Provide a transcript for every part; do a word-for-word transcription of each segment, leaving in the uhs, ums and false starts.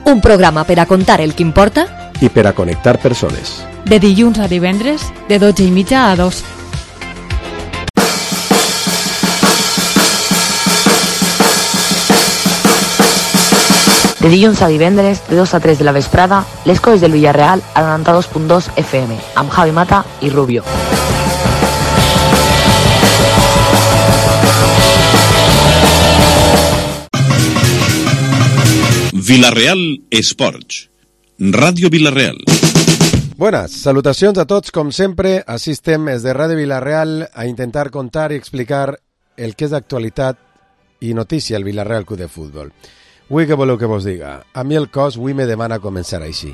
Un programa per a contar el que importa i per a connectar persones. De dilluns a divendres, de dotze i mitja a dos. De dilluns a divendres, de dos a tres de la vesprada, les coses del Villarreal a noranta-dos punt dos F M, amb Javi Mata i Rubio. Villarreal Esports. Ràdio Villarreal. Buenas, salutacions a tots, com sempre. Així estem des de Ràdio Villarreal a intentar contar i explicar el que és d'actualitat i notícia al Villarreal Club de Futbol. Avui què voleu que vos diga? A mi el cos avui me demana començar així.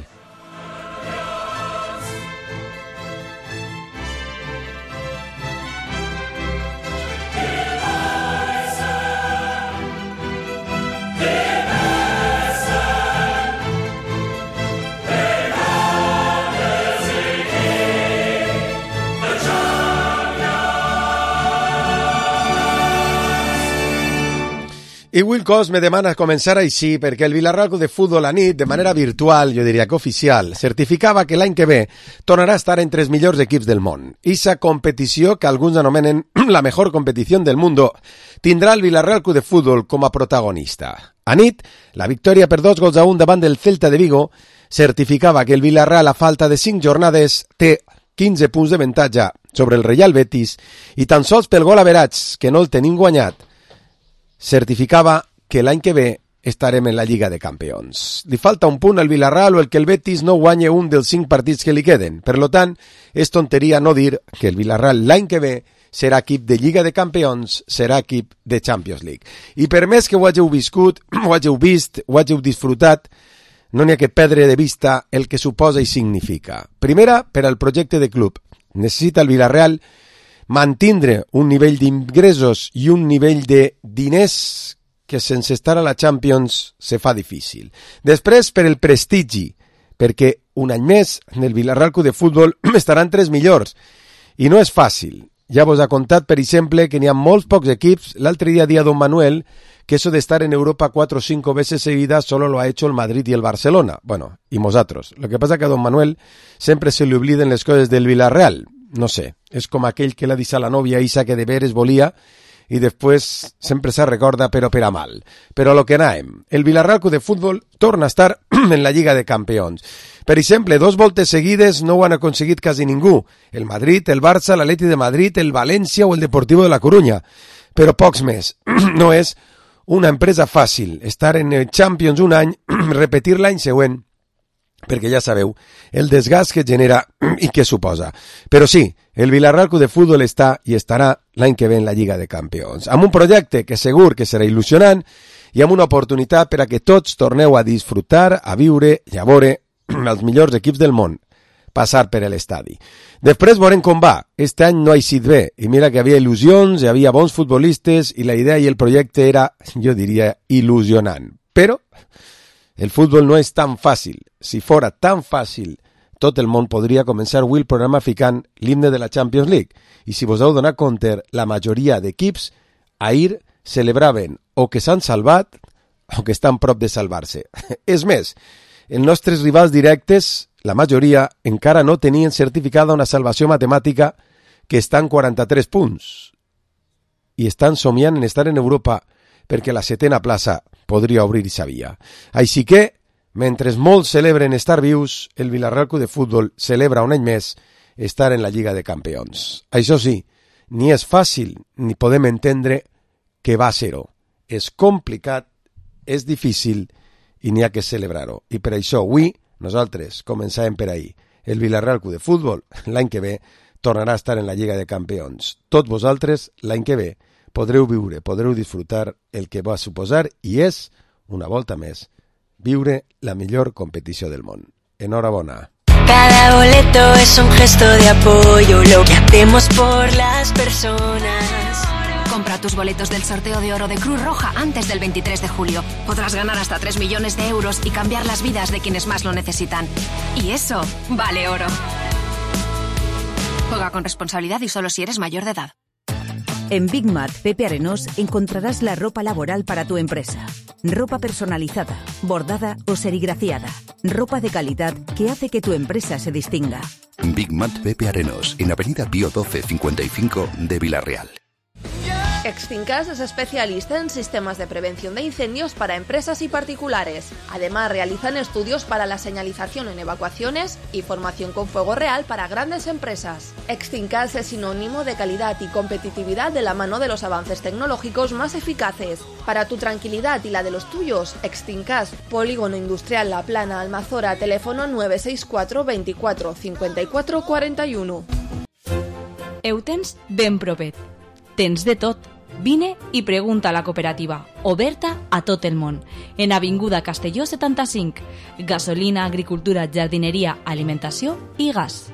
I avui el cos me demana començar així perquè el Villarreal Club de Futbol a nit, de manera virtual, jo diria que oficial, certificava que l'any que ve tornarà a estar entre els millors equips del món. Issa competició, que alguns anomenen la mejor competició del mundo, tindrà el Villarreal Club de Futbol com a protagonista. A nit, la victòria per dos gols a un davant del Celta de Vigo certificava que el Villarreal, a falta de cinc jornades, té quinze punts d'avantatge sobre el Real Betis i tan sols pel gol average, que no el tenim guanyat, certificava que l'any que ve estarem en la Lliga de Campions. Li falta un punt al Villarreal o el que el Betis no guanye un dels cinc partits que li queden. Per tant, és tonteria no dir que el Villarreal l'any que ve serà equip de Lliga de Campions, serà equip de Champions League. I per més que ho hàgiu viscut, ho hàgiu vist, ho hàgiu disfrutat, no n'hi ha que perdre de vista el que suposa i significa. Primera, per al projecte de club. Necessita el Villarreal mantindre un nivell d'ingressos i un nivell de diners que sense estar a la Champions se fa difícil. Després, per el prestigi, perquè un any més el Villarreal Club de Futbol estarà entre els millors. I no és fàcil. Ja vos ha contat, per exemple, que n'hi ha molts pocs equips. L'altre dia dia Don Manuel, que eso de estar en Europa cuatro o cinco veces seguidas solo lo ha hecho el Madrid y el Barcelona. Bueno, y nosotros. Lo que pasa que a Don Manuel sempre se li obliden les coses del Villarreal. No sé, és com aquell que l'ha dit a la nòvia Isa que de veres volia i després sempre se recorda però per a mal. Però a lo que anàvem, el Villarreal Club de Futbol torna a estar en la Lliga de Campions. Per exemple, dos voltes seguides no ho han aconseguit quasi ningú. El Madrid, el Barça, l'Atleti de Madrid, el València o el Deportivo de la Coruña. Però pocs més. No és una empresa fàcil estar en el Champions un any, repetir l'any següent, perquè ja sabeu el desgast que genera i què suposa. Però sí, el Villarreal Club de Futbol està i estarà l'any que ve en la Lliga de Campions, amb un projecte que segur que serà il·lusionant i amb una oportunitat per a que tots torneu a disfrutar, a viure i a veure els millors equips del món passar per l'estadi. Després veurem com va. Este any no ha eixit bé i mira que havia il·lusions, hi havia bons futbolistes i la idea i el projecte era, jo diria, il·lusionant. Però el futbol no és tan fàcil. Si fora tan fàcil, tot el món podria començar avui el programa ficant l'himne de la Champions League. I si vos heu donat compte, la majoria d'equips ahir celebraven o que s'han salvat o que estan prop de salvar-se. És més, els nostres rivals directes, la majoria, encara no tenien certificada una salvació matemàtica que està en quaranta-tres punts. I estan somiant en estar en Europa perquè la setena plaça podria obrir i sabia. Així que, mentre molts celebren estar vius, el Villarreal Club de Futbol celebra un any més estar en la Lliga de Campions. Això sí, ni és fàcil ni podem entendre que va ser-ho. És complicat, és difícil i n'hi ha que celebrar-ho. I per això avui nosaltres començàvem per ahir. El Villarreal Club de Futbol l'any que ve tornarà a estar en la Lliga de Campions. Tots vosaltres l'any que ve podreu viure, podreu disfrutar el que va suposar i és, una volta més, viure la millor competició del món. Enhorabona. Cada boleto es un gesto de apoyo, lo que hacemos por las personas. Compra tus boletos del sorteo de oro de Cruz Roja antes del veintitrés de julio. Podrás ganar hasta tres millones de euros y cambiar las vidas de quienes más lo necesitan. Y eso vale oro. Juega con responsabilidad y solo si eres mayor de edad. En Big Mat Pepe Arenós encontrarás la ropa laboral para tu empresa. Ropa personalizada, bordada o serigrafiada. Ropa de calidad que hace que tu empresa se distinga. Big Mat Pepe Arenos, en Avenida Pío doce cincuenta y cinco de Villarreal. Extincas es especialista en sistemas de prevención de incendios para empresas y particulares. Además, realizan estudios para la señalización en evacuaciones y formación con fuego real para grandes empresas. Extincas es sinónimo de calidad y competitividad de la mano de los avances tecnológicos más eficaces. Para tu tranquilidad y la de los tuyos, Extincas, Polígono Industrial La Plana, Almazora, teléfono nueve seis cuatro veinticuatro cincuenta y cuatro cuarenta y uno. Ho tens ben propet. Tens de tot. Vine i pregunta a la cooperativa, oberta a tot el món, en Avinguda Castelló setanta-cinc. Gasolina, agricultura, jardineria, alimentació i gas.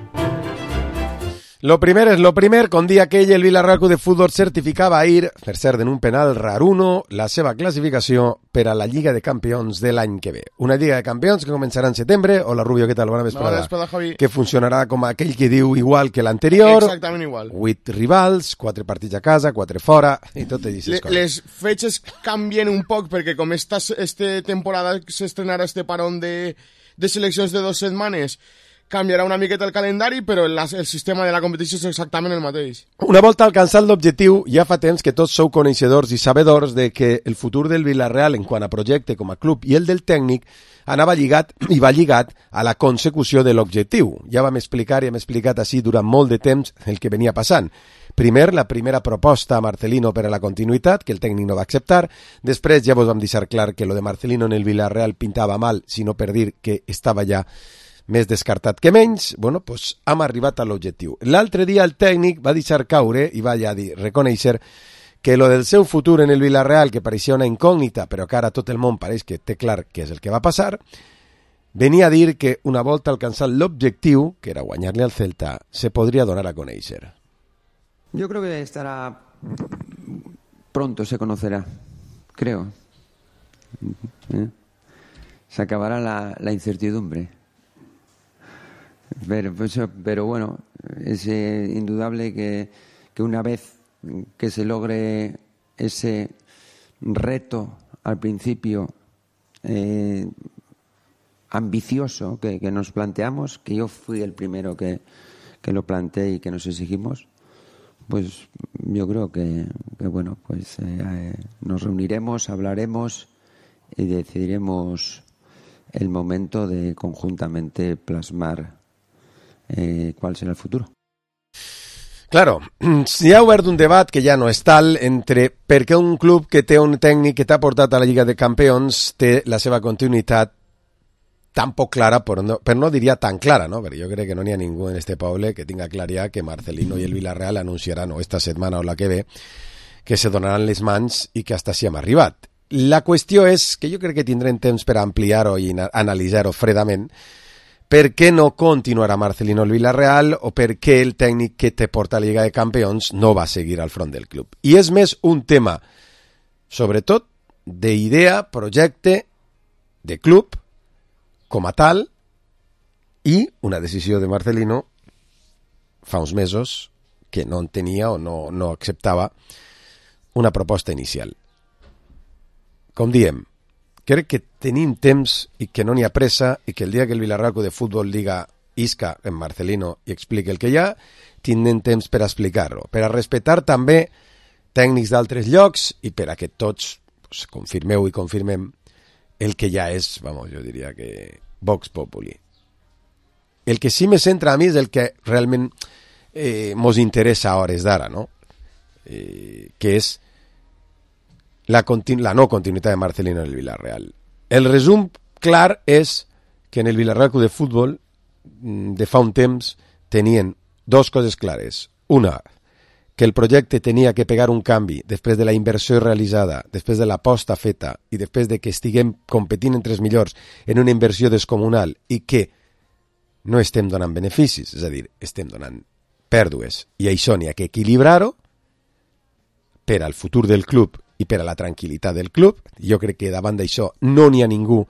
Lo primer es lo primer, con dia aquell el Villarreal Club de Futbol certificava ahir, per cert en un penal raruno, la seva classificació per a la Lliga de Campions de l'any que ve. Una Lliga de Campions que començarà en setembre. Hola Rubio, què tal? Bona vesprada. Bona vesprada, Javi. Que funcionarà com aquell que diu igual que l'anterior. Exactament igual. Vuit rivals, quatre partits a casa, quatre fora, i tot aquestes coses. Les fetges canvien un poc perquè com esta, esta temporada s'estrenarà este parón de, de seleccions de dues setmanes, canviarà una miqueta el calendari, però el, el sistema de la competició és exactament el mateix. Una volta alcançat l'objectiu, ja fa temps que tots sou coneixedors i sabedors de que el futur del Villarreal en quant a projecte com a club i el del tècnic anava lligat i va lligat a la consecució de l'objectiu. Ja vam explicar i hem explicat així durant molt de temps el que venia passant. Primer, la primera proposta a Marcelino per a la continuïtat, que el tècnic no va acceptar. Després ja vos vam deixar clar que lo de Marcelino en el Villarreal pintava mal, sinó per dir que estava ja més descartat que menys. Bueno, pues hem arribat a l'objectiu. L'altre dia el tècnic va deixar caure i va ja dir, reconèixer que lo del seu futur en el Villarreal, que pareixia una incògnita, però que ara tot el món pareix que té clar què és el que va passar, venia a dir que una volta alcançat l'objectiu, que era guanyar-li al Celta, se podria donar a conèixer. Yo creo que estará pronto, se conocerá, creo. ¿Eh? Se acabará la, la incertidumbre. Pero, pues, pero bueno, es eh, indudable que, que una vez que se logre ese reto al principio eh, ambicioso que, que nos planteamos, que yo fui el primero que, que lo planteé y que nos exigimos, pues yo creo que, que bueno, pues eh, nos reuniremos, hablaremos y decidiremos el momento de conjuntamente plasmar Eh, qual serà el futur. Claro, s'hi ha obert un debat que ja no és tal entre per què un club que té un tècnic que t'ha portat a la Lliga de Campions té la seva continuïtat tan poc clara, per no, per no diria tan clara, no? Perquè jo crec que no n'hi ha ningú en este poble que tinga clar ja que Marcelino i el Villarreal anunciaran o esta setmana o la que ve que se donaran les mans i que hasta si hem arribat. La qüestió és que jo crec que tindrem temps per ampliar-ho i analitzar-ho fredament. Per què no continuarà Marcelino el Villarreal o per què el tècnic que te porta a la Lliga de Campions no va seguir al front del club. I és més un tema, sobretot, d'idea, projecte, de club, com a tal, i una decisió de Marcelino fa uns mesos que no entenia o no, no acceptava una proposta inicial. Com diem, crec que tenim temps i que no n'hi ha pressa i que el dia que el Villarreal Club de Futbol diga isca en Marcelino i expliqui el que hi ha, tindrem temps per explicar-lo, per a respectar també tècnics d'altres llocs i per a que tots pues, confirmeu i confirmem el que ja és, vamos, jo diria que Vox Populi. El que sí me centra a mi és el que realment eh, mos interessa a hores d'ara, no? Eh, que és La, continu- la no continuïtat de Marcelino en el Villarreal. El resum clar és que en el Villarreal Club de Futbol de fa un temps tenien dos coses clares. Una, que el projecte tenia que pegar un canvi després de la inversió realitzada, després de l'aposta feta i després de que estiguem competint entre els millors en una inversió descomunal i que no estem donant beneficis, és a dir, estem donant pèrdues. I això n'hi ha que equilibrar-ho per al futur del club i per a la tranquil·litat del club. Jo crec que davant d'això no n'hi ha ningú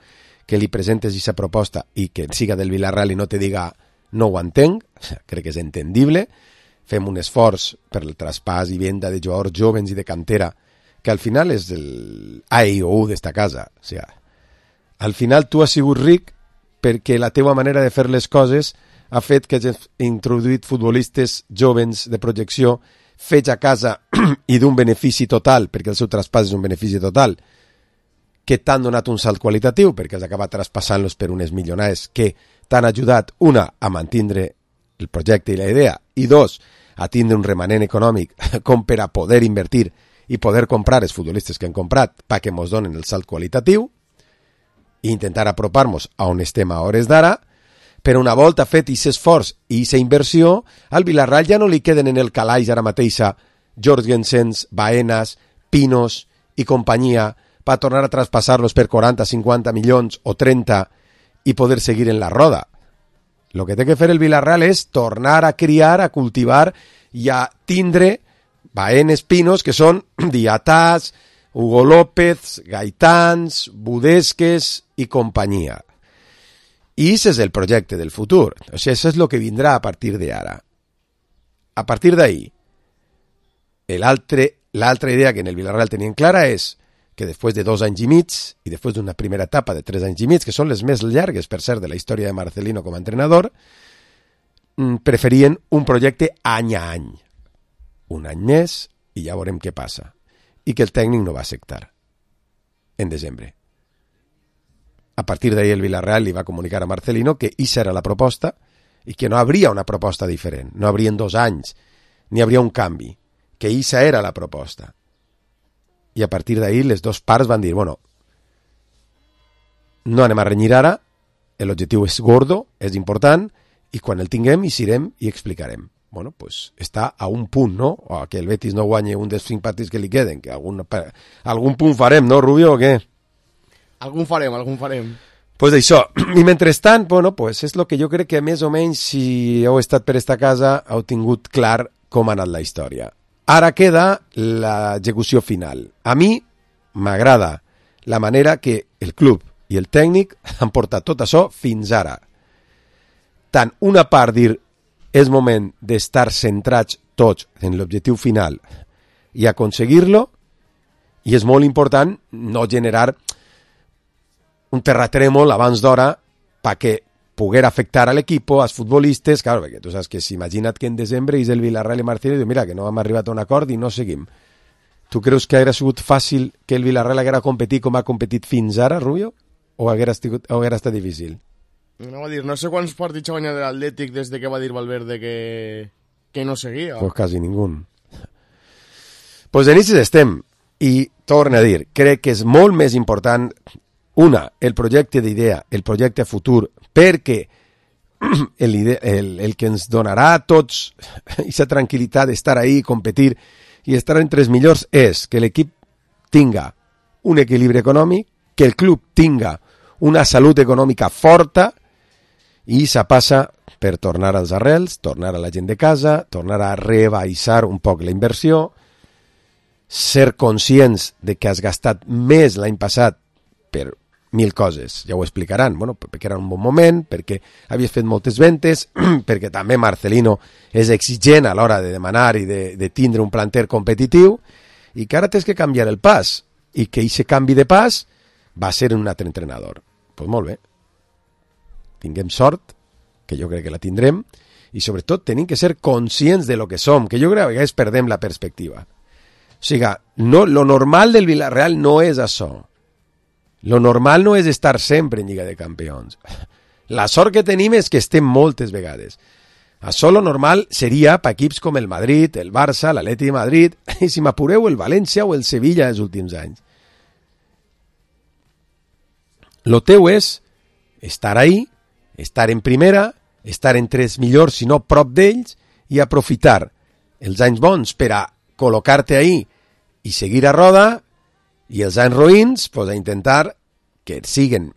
que li presentes aquesta proposta i que siga del Villarreal i no te diga no ho entenc, crec que és entendible. Fem un esforç per el traspàs i venda de jugadors jovens i de cantera que al final és el A i O U d'esta casa. O sigui, al final tu has sigut ric perquè la teua manera de fer les coses ha fet que hagis introduït futbolistes jovens de projecció fets a casa i d'un benefici total, perquè el seu traspàs és un benefici total, que t'han donat un salt qualitatiu, perquè has acabat traspassant-los per unes milionades que t'han ajudat, una, a mantindre el projecte i la idea, i dos, a tindre un remanent econòmic com per a poder invertir i poder comprar els futbolistes que han comprat perquè mos donen el salt qualitatiu i intentar apropar-nos a on estem a hores d'ara. Però una volta fet aquest esforç i aquesta inversió, al Villarreal ja no li queden en el calaix ara mateix Jorgensens, Baenas, Pinos i companyia per tornar a traspassar-los per quaranta, cinquanta milions o trenta i poder seguir en la roda. El que té que fer el Villarreal és tornar a criar, a cultivar i a tindre Baenes, Pinos, que són Diatàs, Hugo López, Gaitans, Budesques i companyia. I aquest és el projecte del futur. O sigui, això és el que vindrà a partir d'ara. A partir d'ahí, l'altra idea que en el Villarreal tenien clara és que després de dos anys i mig, i després d'una primera etapa de tres anys i mig, que són les més llargues, per cert, de la història de Marcelino com a entrenador, preferien un projecte any a any. Un any més, i ja veurem què passa. I que el tècnic no va acceptar en desembre. A partir d'ahí el Villarreal li va comunicar a Marcelino que aquesta era la proposta i que no habria una proposta diferent, no haurien dos anys, ni hauria un canvi, que aquesta era la proposta. I a partir d'ahí les dues parts van dir, bueno, no anem a renyir ara, l'objectiu és gordo, és important, i quan el tinguem hi serem i explicarem. Bueno, pues està a un punt, no? O que el Betis no guanyi un dels cinc partits que li queden, que algun, algun punt farem, no, Rubio, o què? Algun farem, algun farem. Pues això, i mentrestant, bueno, pues és el que jo crec que més o menys, si heu estat per esta casa, heu tingut clar com ha anat la història. Ara queda l'execució final. A mi m'agrada la manera que el club i el tècnic han portat tot això fins ara. Tant una part dir és moment d'estar centrats tots en l'objectiu final i aconseguir-lo, i és molt important no generar un terratrèmol abans d'hora perquè poder afectar a l'equip, als futbolistes, claro, perquè tu saps que si imagina't que en desembre és el Villarreal i Martínez i diu, mira, que no hem arribat a un acord i no seguim. Tu creus que hauria sigut fàcil que el Villarreal haguera competit com ha competit fins ara, Rubio? O haguera estat, o haguera estat difícil? No, va dir, no sé quants partits ha guanyat l'Atlètic des de que va dir Valverde que, que no seguia. Pues quasi ningú. Pues en inicis estem, i torno a dir, crec que és molt més important, una, el projecte d'idea, el projecte futur, perquè el, el, el que ens donarà a tots aquesta tranquil·litat d'estar ahí, competir i estar entre els millors és que l'equip tinga un equilibri econòmic, que el club tinga una salut econòmica forta, i això passa per tornar als arrels, tornar a la gent de casa, tornar a rebaixar un poc la inversió, ser conscients de que has gastat més l'any passat per mil coses, ja ho explicaran, bueno, perquè era un bon moment, perquè havies fet moltes ventes, perquè també Marcelino és exigent a l'hora de demanar i de, de tindre un planter competitiu, i que ara tens que canviar el pas, i que aquest canvi de pas va ser un altre entrenador. Doncs pues molt bé. Tinguem sort, que jo crec que la tindrem, i sobretot tenim que ser conscients de lo que som, que jo crec que a vegades perdem la perspectiva. O sigui, no, lo normal del Villarreal no és això. Lo normal no és estar sempre en Lliga de Campions. La sort que tenim és que estem moltes vegades. Això lo normal seria per equips com el Madrid, el Barça, l'Atlètic de Madrid, i si m'apureu el València o el Sevilla els últims anys. Lo teu és estar ahí, estar en primera, estar entre els millors, si no prop d'ells, i aprofitar els anys bons per a col·locar-te ahí i seguir a roda, i els anys roïns, pues, a intentar que siguin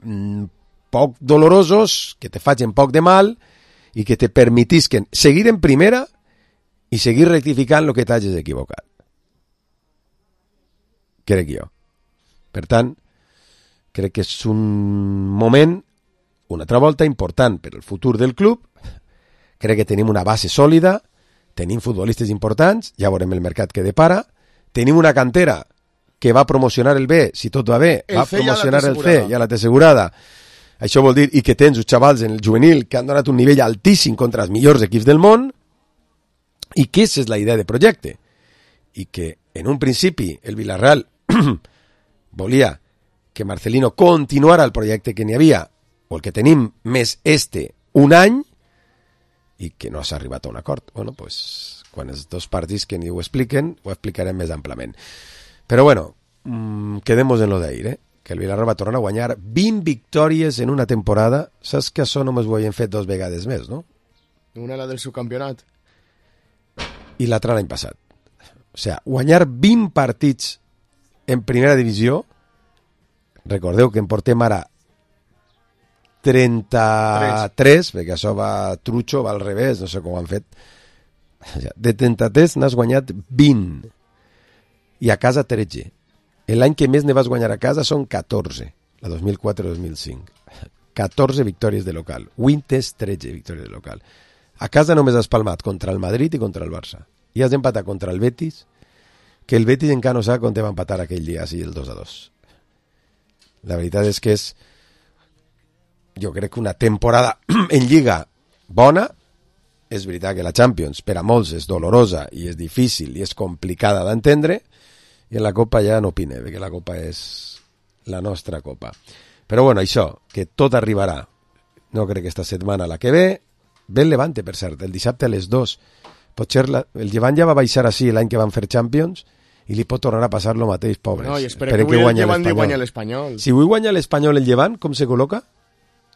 poc dolorosos, que te facin poc de mal i que te permetisquen seguir en primera i seguir rectificant el que t'hagis equivocat. Crec jo. Per tant, crec que és un moment, una altra volta, important per al futur del club. Crec que tenim una base sòlida, tenim futbolistes importants, ja veurem el mercat que depara, tenim una cantera que va promocionar el B, si tot va bé, El va C ja la promocionar té el C, assegurada. ja la té assegurada. Això vol dir, i que tens uns xavals en el juvenil que han donat un nivell altíssim contra els millors equips del món, i que aquesta és la idea de projecte. I que, en un principi, el Villarreal volia que Marcelino continuara el projecte que n'hi havia, o el que tenim més este, un any, i que no s'ha arribat a un acord. Bueno, pues, quan els dos partits que ni ho expliquen, ho explicarem més amplament. Però bueno, mmm, quedemos en lo d'ahir, eh? Que el Villarreal va tornar a guanyar vint victòries en una temporada. Saps que això només ho havien fet dos vegades més, no? Una la del subcampionat. I l'altra l'any passat. O sigui, guanyar vint partits en primera divisió, recordeu que en portem ara trenta-tres, perquè això va trucho, va al revés, no sé com ho han fet. De trenta-tres n'has guanyat vint. I a casa tretze. L'any que més ne vas guanyar a casa són catorze, la dos mil quatre dos mil cinc. catorze victòries de local. Winters, tretze victòries de local. A casa només has palmat contra el Madrid i contra el Barça. I has empatat contra el Betis, que el Betis encara no sap on te va empatar aquell dia, així el dos a dos. La veritat és que és, jo crec que una temporada en Lliga bona. És veritat que la Champions per a molts és dolorosa i és difícil i és complicada d'entendre, i en la Copa ja no opine, perquè la Copa és la nostra Copa. Però bueno, això, que tot arribarà, no crec que esta setmana, la que ve, ve el Levante, per cert, el dissabte a les dues. Potser la, el Llevant ja va baixar així l'any que van fer Champions, i li pot tornar a passar el mateix, pobres. No, i espera que avui el Llevant li guanya l'Espanyol. Si avui guanya l'Espanyol el Llevant, com se col·loca?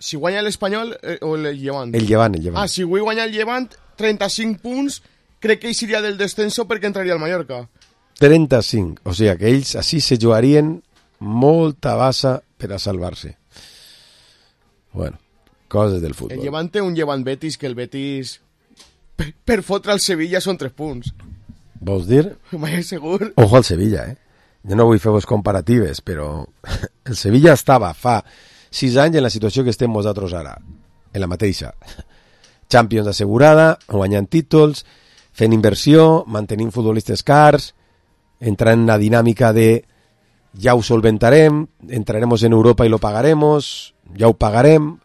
Si guanya l'Espanyol eh, o el Llevant? El Llevant, el Llevant. Ah, si avui guanya el Llevant, trenta-cinc punts, crec que ell seria del descenso perquè entraria al Mallorca. trenta-cinc, o sigui que ells així se jugarien molta bassa per a salvar-se. Bueno, coses del futbol. El Llevant té un Llevant Betis, que el Betis per, per fotre al Sevilla són tres punts. Vols dir? Mai segur. Ojo al Sevilla, eh? Jo no vull fer-vos comparatives, però el Sevilla estava fa sis anys en la situació que estem nosaltres ara, en la mateixa. Champions assegurada, guanyant títols, fent inversió, mantenint futbolistes cars, entrant en la dinàmica de ja ho solventarem, entraremos en Europa i lo pagaremos, ja ho pagarem,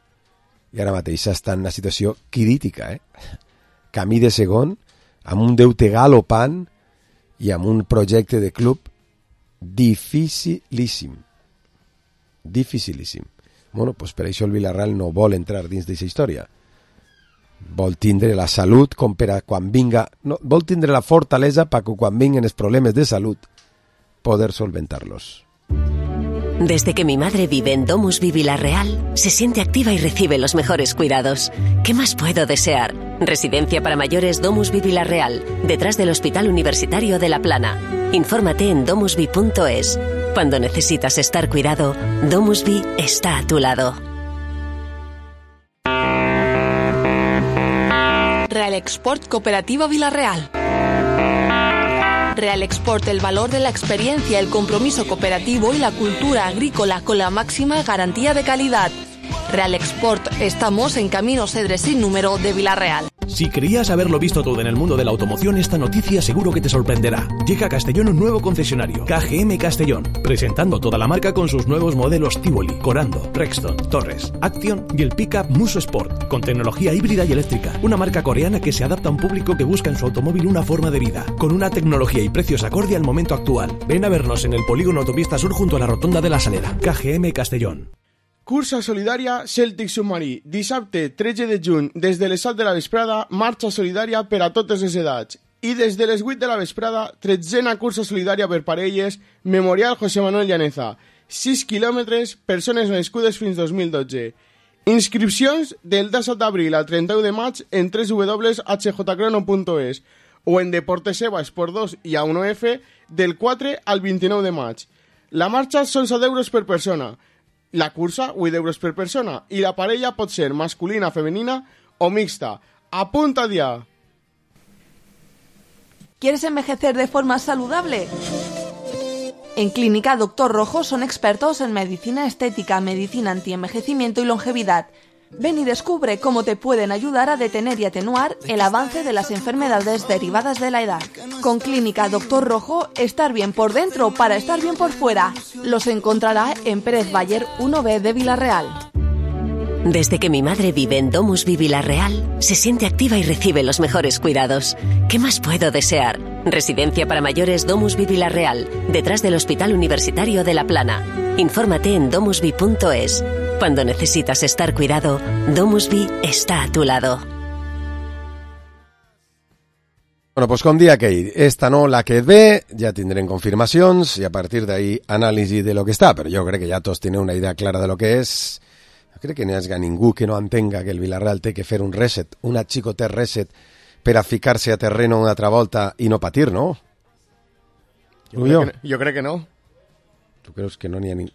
i ara mateix està en una situació crítica, eh? Camí de segon, amb un deute galopant i amb un projecte de club dificilíssim. Dificilíssim. Bueno, pues per això el Villarreal no vol entrar dins d'aquesta història. Vol tindre la salut com per a quan vinga... No, vol tindre la fortalesa perquè quan vinguen els problemes de salut poder solventarlos. Desde que mi madre vive en Domusvi Villarreal, se siente activa y recibe los mejores cuidados. ¿Qué más puedo desear? Residencia para mayores Domusvi Villarreal, detrás del Hospital Universitario de La Plana. Infórmate en domusvi punto es. Cuando necesitas estar cuidado, Domusvi está a tu lado. Real Export Cooperativa Villarreal. Real Export, el valor de la experiencia, el compromiso cooperativo y la cultura agrícola con la máxima garantía de calidad. Real Export, estamos en Camino Cedres sin número de Villarreal. Si creías haberlo visto todo en el mundo de la automoción, esta noticia seguro que te sorprenderá. Llega a Castellón un nuevo concesionario, K G M Castellón, presentando toda la marca con sus nuevos modelos Tivoli, Corando, Rexton, Torres, Action y el pickup Muso Sport, con tecnología híbrida y eléctrica. Una marca coreana que se adapta a un público que busca en su automóvil una forma de vida, con una tecnología y precios acorde al momento actual. Ven a vernos en el polígono Autopista Sur junto a la rotonda de la Salera. K G M Castellón. Cursa solidària Celtic Submarí. Dissabte tretze de juny, des de les set de la vesprada, marxa solidària per a totes les edats. I des de les vuit de la vesprada, tretzena cursa solidària per parelles, Memorial José Manuel Llaneza. sis quilòmetres, persones nascudes fins dos mil dotze. Inscripcions del disset d'abril al trenta-u de maig en w w w punt h j crono punt es o en Deportes Eva Esport dos i A uno F del quatre al vint-i-nou de maig. La marxa són set euros per persona. La cursa, vuit euros per persona, i la parella pot ser masculina, femenina o mixta. Apunta ya. ¿Quieres envejecer de forma saludable? En Clínica Doctor Rojo son expertos en medicina estética, medicina antienvejecimiento y longevidad. Ven y descubre cómo te pueden ayudar a detener y atenuar el avance de las enfermedades derivadas de la edad. Con Clínica Doctor Rojo, estar bien por dentro para estar bien por fuera. Los encontrará en Pérez Bayer uno B de Villarreal. Desde que mi madre vive en Domus Vi Villarreal, se siente activa y recibe los mejores cuidados. ¿Qué más puedo desear? Residencia para mayores Domus Vi Villarreal, detrás del Hospital Universitario de La Plana. Infórmate en domusvi punto es. Cuando necesitas estar cuidado, Domus Vi está a tu lado. Bueno, pues com dia aquell, esta no, la que ve, ja tindrem confirmacions i a partir d'ahí anàlisi de lo que està, però jo crec que ja tots tenen una idea clara de lo que és. Jo crec que no hi ha ningú que no entenga que el Villarreal té que fer un reset, un achicotet reset per a ficar-se a terreno una altra volta i no patir, no? Jo crec, que, jo crec que no. Tu creus que no n'hi ha ningú?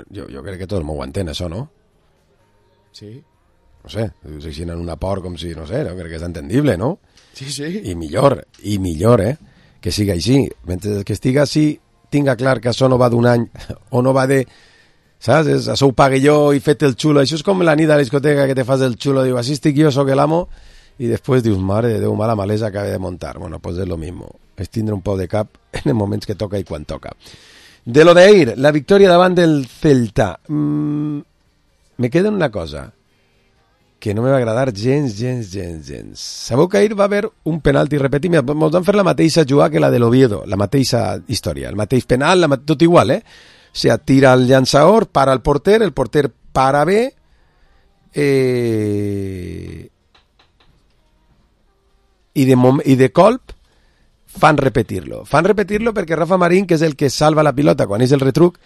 Jo, jo crec que tot el món ho entén, això, no? Sí. No sé, dius així en una por com si, no sé, no? Crec que és entendible, no? Sí, sí. I millor, i millor, eh? Que siga així. Mentre que estiga així, tinga clar que això no va d'un any, o no va de... Saps? És, això ho pague jo i fet el xulo. Això és com la nit a la discoteca que te fas el xulo. Diu, així estic jo, soc el amo. I després dius, mare de Déu, mala malesa acaba de montar. Bueno, pues és lo mismo. És tindre un pou de cap en els moments que toca i quan toca. De lo d'ahir, la victòria davant del Celta. Mm, me queda una cosa que no me va agradar gens, gens, gens, gens. Sabeu que ahir va haver un penalti repetit. Ens van fer la mateixa jugada que la de l'Oviedo, la mateixa història, el mateix penal, la, tot igual, eh? O sigui, tira el llançador, para el porter, el porter para bé, eh, i, de mom- i de colp fan repetir-lo. Fan repetir-lo perquè Rafa Marín, que és el que salva la pilota quan és el retruc,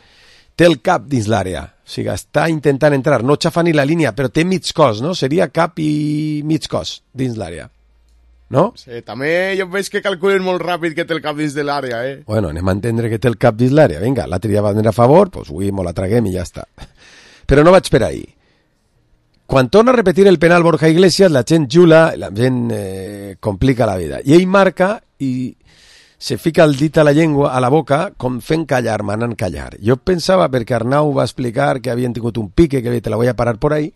té el cap dins l'àrea. O sigui, està intentant entrar, no xafa ni la línia, però té mig cos, no? Seria cap i mig cos dins l'àrea. No? Sí, també jo veig que calculen molt ràpid que té el cap dins de l'àrea, eh? Bueno, anem a entendre que té el cap dins l'àrea. Vinga, l'altre ja va venir a favor, doncs avui mo la traguem i ja està. Però no vaig per ahí. Quan torna a repetir el penal Borja Iglesias, la gent jula, la gent eh, complica la vida. I ell marca i se fica el dit a la llengua, a la boca, com fent callar, manant callar. Jo pensava, perquè Arnau va explicar que havien tingut un pique, que te la voy a parar por ahí,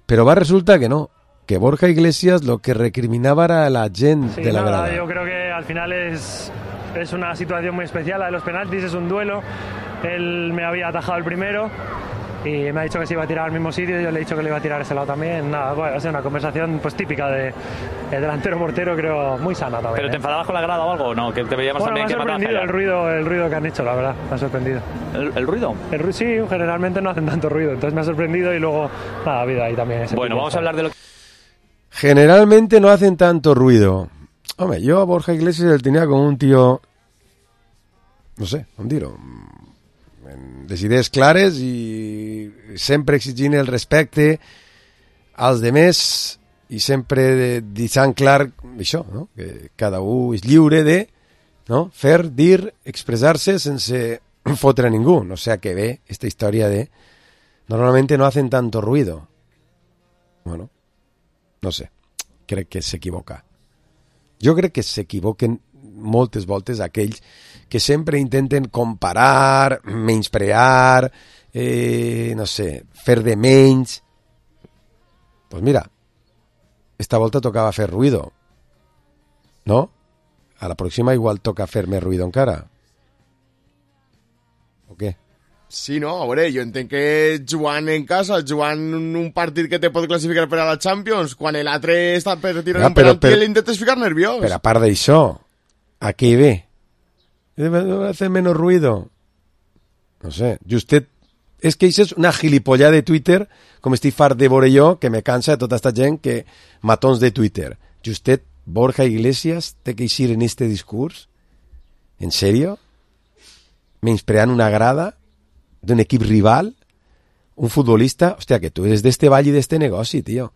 però va resultar que no. Que Borja Iglesias lo que recriminaba era a la gente sí, de la nada, grada. Yo creo que al final es, es una situación muy especial, la de los penaltis, es un duelo. Él me había atajado el primero y me ha dicho que se iba a tirar al mismo sitio, yo le he dicho que le iba a tirar a ese lado también. Nada, bueno, ha sido una conversación pues típica de, de delantero portero, creo muy sana también. ¿Pero te enfadabas con la grada o algo o no? Que te veíamos bueno, también me ha que sorprendido el ruido, el ruido que han hecho, la verdad, me ha sorprendido. ¿El, el ruido? El ruido? Sí, generalmente no hacen tanto ruido, entonces me ha sorprendido y luego, nada, ha habido ahí también ese Bueno, vamos a hablar de lo que... Generalmente no hacen tanto ruido. Hombre, yo a Borja Iglesias el tenía como un tío, no sé, com dir-ho, les idees clares i sempre exigint el respecte als demés i sempre deixant clar això, no? Que cada un és lliure de, no? Fer, dir, expressar-se sense fotre a ningú. No sé a què ve esta història de normalmente no hacen tanto ruido. Bueno, no sé, crec que s'equivoca. Jo crec que s'equivoquen moltes voltes aquells que sempre intenten comparar, menysprear, eh, no sé, fer de menys. Pues mira, esta volta tocava fer ruido, no? A la pròxima igual toca fer més ruido encara. O què? Sí, no, a veure, jo entenc que jugant en casa, jugant un partit que te pot classificar per a la Champions, quan l'altre està per tirar ja, un penalti i l'intentes ficar nerviós. Però a part d'això, a què ve? Debe hacer menos ruido. No sé, Justet... És que això és una gilipollada de Twitter, com estic fart de veure jo, que me cansa de tota esta gent que matons de Twitter. Justet, Borja Iglesias té que eixir en este discurs? En sèrio? Menyspreant una grada d'un equip rival? Un futbolista? Hòstia, que tu eres d'este ball i d'este negoci, tio.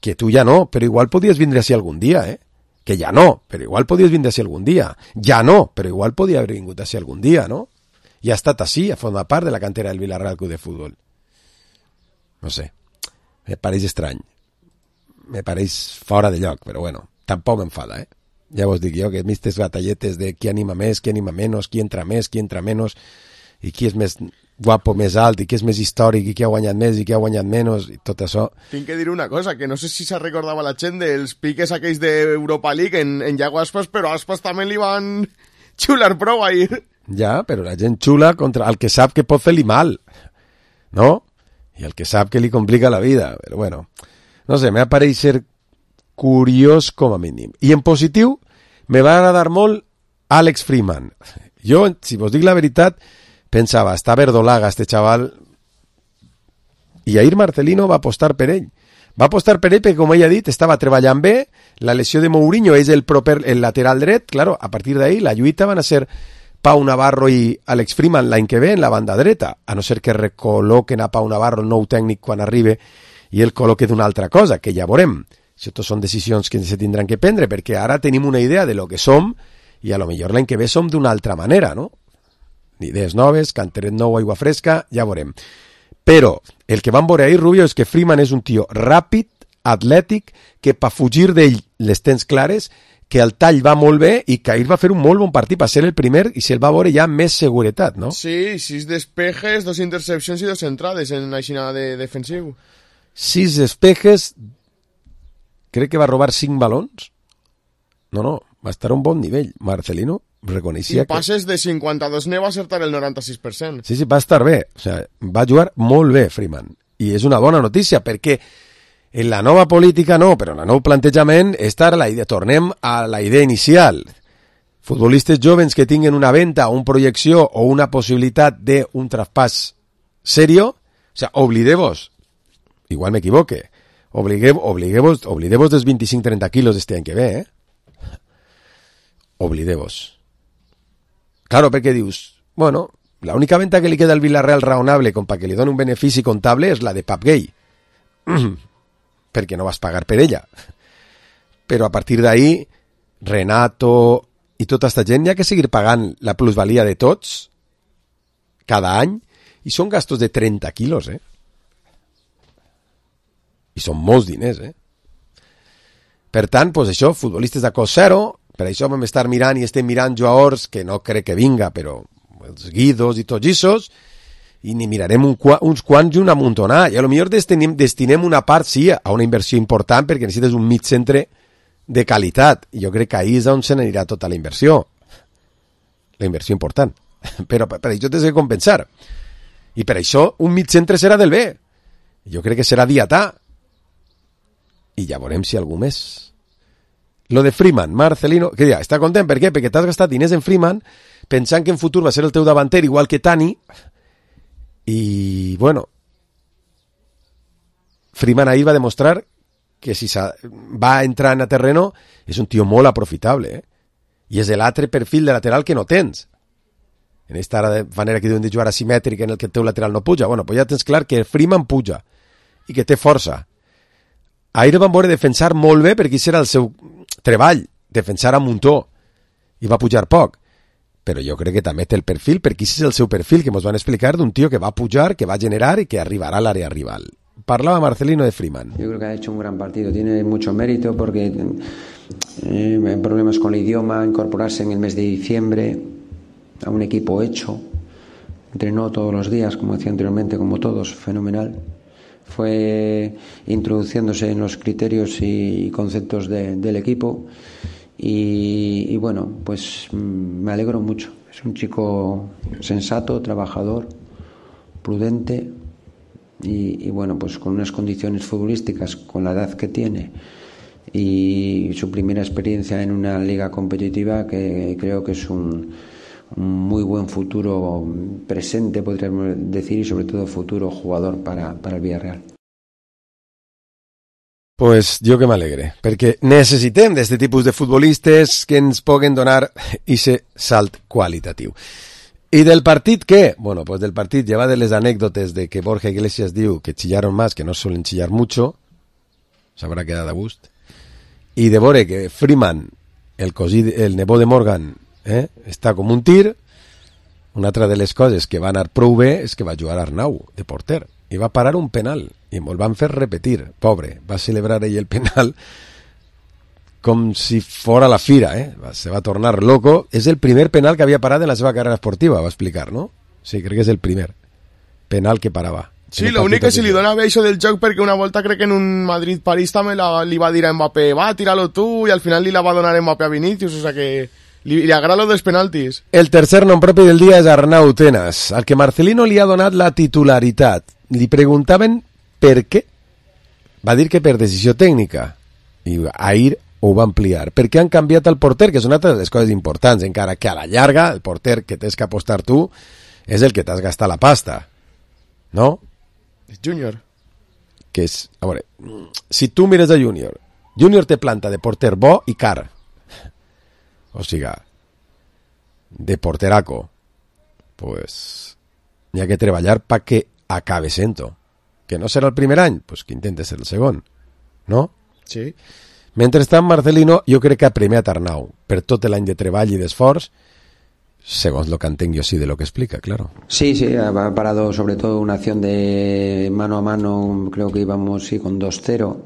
Que tu ja no, però igual podies vindre així algun dia, eh? Que ja no, però igual podies vindre així algun dia. Ja no, però igual podia haver vingut així algun dia, no? I ha estat així, a formar part de la cantera del Villarreal Club de Futbol. No sé, me pareix estrany. Me pareix fora de lloc, però bueno, tampoc m'enfada, eh? Ja vos dic jo que mistes batalletes de qui anima més, qui anima menys, qui entra més, qui entra menys, i qui és més guapo més alt i qui és més històric i qui ha guanyat més i qui ha guanyat menys i tot això. Tinc que dir una cosa, que no sé si se recordava la gent dels piques aquells d'Europa League en, en Iago Aspas, però Aspas també li van xular prou ahir. Ja, però la gent xula contra el que sap que pot fer-li mal, no? I el que sap que li complica la vida. Però bueno, no sé, m'ha pareix ser curiós com a mínim. I en positiu, me va agradar molt Alex Freeman. Jo, si vos dic la veritat, pensava, està verdolaga este xaval, i Jair Marcelino va apostar per ell. Va apostar per ell perquè, com ell ha dit, estava treballant bé, la lesió de Mourinho és el, proper, el lateral dret, claro, a partir d'ahí la lluita van a ser Pau Navarro i Alex Freeman l'any que ve en la banda dreta, a no ser que recol·loquen a Pau Navarro, el nou tècnic, quan arribi, i el col·loque d'una altra cosa, que ja veurem. Això són decisions que se tindran que prendre, perquè ara tenim una idea de lo que som, i a lo millor l'any que ve som d'una altra manera, no? Idees noves, canteret nou, aigua fresca, ja veurem. Però el que vam veure ahir, Rubio, és que Freeman és un tio ràpid, atlètic, que per fugir d'ell les tens clares, que el tall va molt bé i que ahir va fer un molt bon partit per ser el primer i se'l va veure ja amb més seguretat, no? Sí, sis despejes, dos intercepcions i dos entrades en la xina de defensiu. Sis despejes, crec que va robar cinc balons. No, no, va estar a un bon nivell. Marcelino reconeixia I passes que... de cinquanta-dos ne va acertar el noranta-sis per cent. Sí, sí, va estar bé. O sea, va jugar molt bé, Freeman. I és una bona notícia, perquè en la nova política no, però en el nou plantejament està la idea, tornem a la idea inicial. Futbolistes jovens que tinguen una venta, una projecció o una possibilitat d'un traspàs serio, o sea, oblideu-vos, igual m'equivoque, obligueu, obligueu-vos, oblideu-vos dels vint-i-cinc trenta quilos d'este any que ve, eh? Oblideu-vos. Claro, perquè dius, bueno, la única venta que li queda al Villarreal raonable com para que li doni un benefici comptable és la de Pap Gay. Perquè no vas pagar per ella. Però a partir d'ahí, Renato i tota aquesta gent hi ha que seguir pagant la plusvalia de tots cada any i són gastos de trenta quilos, eh? I són molts diners, eh? Per tant, pues això, futbolistes de cost zero, per això vam estar mirant i estem mirant jugadors que no crec que vinga, però els Guidos i tots issos, i ni mirarem un, uns quants i un amuntonar, i a lo millor destinem, destinem una part, sí, a una inversió important, perquè necessites un mig centre de qualitat, i jo crec que ahí és on se n'anirà tota la inversió, la inversió important, però per això tens que compensar, i per això un mig centre serà del bé, jo crec que serà Diatà, i ja veurem si algú més. Lo de Freeman, Marcelino, que ja, està content, per què? Perquè t'has gastat diners en Freeman, pensant que en futur va ser el teu davanter igual que Tani, i, bueno, Freeman ahir va demostrar que si va entrar en a terreno és un tio molt aprofitable, eh? I és l'altre perfil de lateral que no tens. En aquesta manera que diuen de jugar asimètrica en el que el teu lateral no puja, bueno, pues ja tens clar que Freeman puja i que té força. Ahir van veure defensar molt bé perquè això era el seu treball, defensar a muntó, i va pujar poc. Però jo crec que també té el perfil, perquè aquest és el seu perfil que ens van explicar d'un tio que va pujar, que va generar i que arribarà a l'àrea rival. Parlava Marcelino de Freeman. Yo creo que ha hecho un gran partido, tiene mucho mérito porque eh, problemas con el idioma, incorporarse en el mes de diciembre a un equipo hecho, entrenó todos los días, como decía anteriormente, como todos, fenomenal. Fue introduciéndose en los criterios y conceptos de, del equipo y, y bueno, pues me alegro mucho. Es un chico sensato, trabajador, prudente y, y bueno, pues con unas condiciones futbolísticas, con la edad que tiene y su primera experiencia en una liga competitiva, que creo que es un, un muy buen futuro presente, podríamos decir, y sobre todo futuro jugador para, para el Villarreal. Pues jo que m'alegre, perquè necessitem d'aquest tipus de futbolistes que ens puguen donar ese salt qualitatiu. I del partit què? Bueno, pues del partit, lleva de les anècdotes de que Borja Iglesias diu que chillaron más, que no suelen chillar mucho, s'haurà quedat a gust, i de veure que Freeman, el, cosí, el nebó de Morgan, eh, està com un tir. Una altra de les coses que va anar prou bé és que va jugar Arnau, de porter, i va parar un penal, i me'l van fer repetir, pobre, va celebrar ell el penal com si fora la fira, eh? Se va tornar loco. És el primer penal que havia parat en la seva carrera esportiva, va explicar, no? Sí, crec que és el primer. penal que parava. Sí, l'únic que si li dona bé això del joc, perquè una volta crec que en un Madrid-París també la, li va dir a Mbappé, va, tíralo tu, i al final li la va donar Mbappé a Vinicius, o sea que li, li agrada lo dels penaltis. El tercer nom propi del dia és Arnau Tenas, al que Marcelino li ha donat la titularitat. Li preguntaven per què. Va dir que per decisió tècnica, i ahir ho va ampliar, perquè han canviat el porter, que és una altra de les coses importants, encara que a la llarga el porter que tens que apostar tu és el que t'has gastat la pasta, no? Júnior. Que és, a veure, si tu mires a Júnior, Júnior té planta de porter bo i car. O sigui, de porteraco, pues hi ha que treballar perquè acabe sent-ho. Que no serà el primer any, pues que intente ser el segon, no? Sí. Mentrestant, Marcelino, jo crec que ha premiat Arnau per tot l'any de treball i d'esforç, según lo que entenc yo sí de lo que explica, claro. Sí, sí, ha parado sobre todo una acción de mano a mano, creo que íbamos sí con dos cero,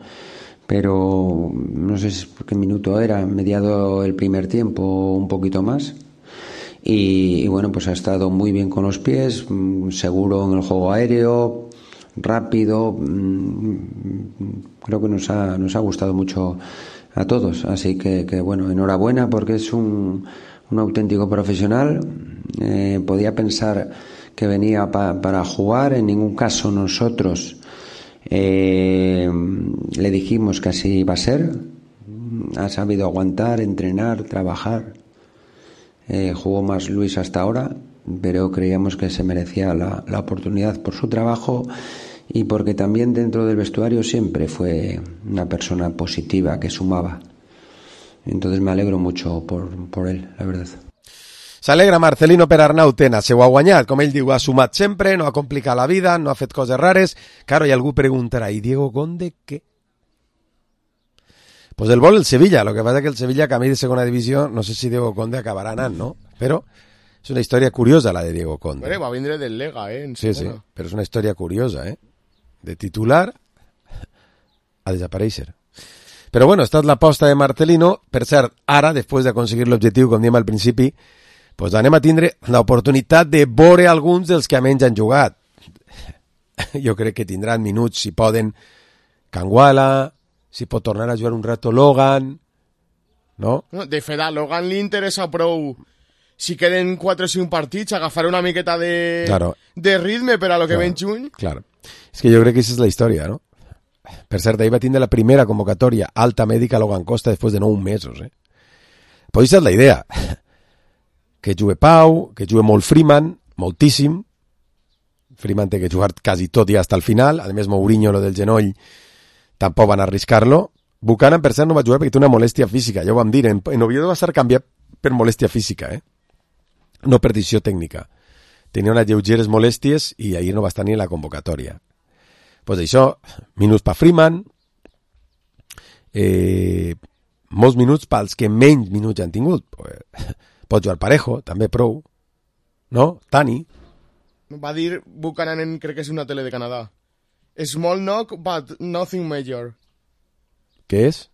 pero no sé qué minuto era, mediado el primer tiempo, un poquito más. Y, y bueno, pues ha estado muy bien con los pies, seguro en el juego aéreo, rápido, creo que nos ha, nos ha gustado mucho a todos, así que, que bueno, enhorabuena porque es un... un auténtico profesional, eh, podía pensar que venía pa, para jugar, en ningún caso nosotros eh, le dijimos que así iba a ser, ha sabido aguantar, entrenar, trabajar, eh, jugó más Luis hasta ahora, pero creíamos que se merecía la, la oportunidad por su trabajo y porque también dentro del vestuario siempre fue una persona positiva que sumaba. Entonces me alegro mucho por, por él, la verdad. S'alegra Marcelino per Arnau Tenas, se ho ha guanyat, com ell diu, ha sumat sempre, no ha complicat la vida, no ha fet coses rares. Claro, i algú preguntarà, ¿y Diego Conde qué? Pues el vol el Sevilla, lo que pasa es que el Sevilla camí de segona divisió, no sé si Diego Conde acabarà anant, no? Però és una història curiosa la de Diego Conde. Bueno, va vindre del Lega, eh? En sí, sí, però és una història curiosa, eh? De titular a desaparèixer. Però bueno, esta és l'aposta de Marcelino. Per cert, ara, després d'aconseguir l'objectiu, com diem al principi, pues anem a tindre l'oportunitat de veure alguns dels que menys han jugat. Jo crec que tindran minuts, si poden, Canguala, si pot tornar a jugar un rato Logan, no? De fet, a Logan li interessa prou, si queden quatre o cinc partits, agafar una miqueta de, claro. de ritme per a lo que claro. ven juny. Claro. És que jo crec que aquesta és la història, no? Per cert, ahir va tindre la primera convocatòria alta mèdica a Logan Costa després de nou mesos, eh? Pues aquesta és la idea. Que jugui Pau, que jugui molt Freeman, moltíssim. Freeman té que jugar quasi tot i hasta el final. A més, Mourinho, lo del genoll, tampoc van arriscar-lo. Buchanan, per cert, no va jugar perquè té una molèstia física, ja ho vam dir. En, en Oviedo va ser canviat per molèstia física, eh? No per decisió tècnica. Tenia unes lleugeres molèsties i ahir no va estar ni en la convocatòria. Pues això, minuts per Freeman, eh, molts minuts pels que menys minuts han tingut. Pues, pot jugar Parejo, també prou, no? Tani. Va dir Buchanan, en, crec que és una tele de Canadà. Small knock, but nothing major. ¿Qué es?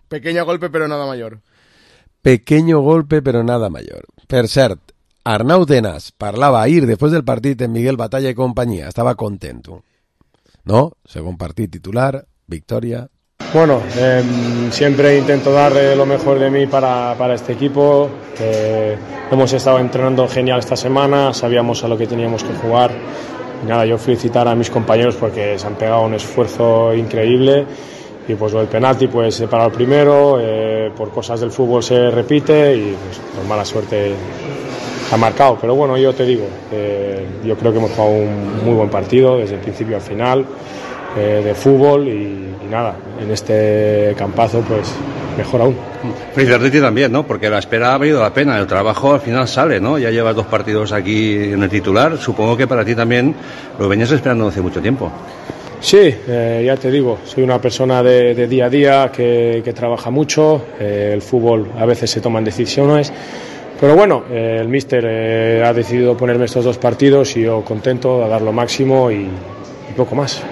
Pequeño golpe, pero nada mayor. Pequeño golpe, pero nada mayor. Per cert, Arnau Tenas parlava ahir, després del partit en Miguel Batalla i companyia. Estava contento. ¿No? Según partido titular, victoria. Bueno, eh, siempre intento dar eh, lo mejor de mí para, para este equipo. Eh, hemos estado entrenando genial esta semana, sabíamos a lo que teníamos que jugar. Y nada, yo felicitar a mis compañeros porque se han pegado un esfuerzo increíble. Y pues el penalti pues se para el primero, eh, por cosas del fútbol se repite y pues por mala suerte ha marcado. Pero bueno, yo te digo, eh, yo creo que hemos jugado un muy buen partido desde el principio al final, eh, de fútbol y, y nada, en este campazo pues mejor aún. Felicitarte a ti también, ¿no? Porque la espera ha valido la pena, el trabajo al final sale, ¿no? Ya llevas dos partidos aquí en el titular, supongo que para ti también lo venías esperando hace mucho tiempo. Sí, eh, ya te digo, soy una persona de, de día a día que, que trabaja mucho, eh, el fútbol a veces se toman decisiones, pero bueno, eh, el míster eh, ha decidido ponerme estos dos partidos y yo contento a dar lo máximo y, y poco más.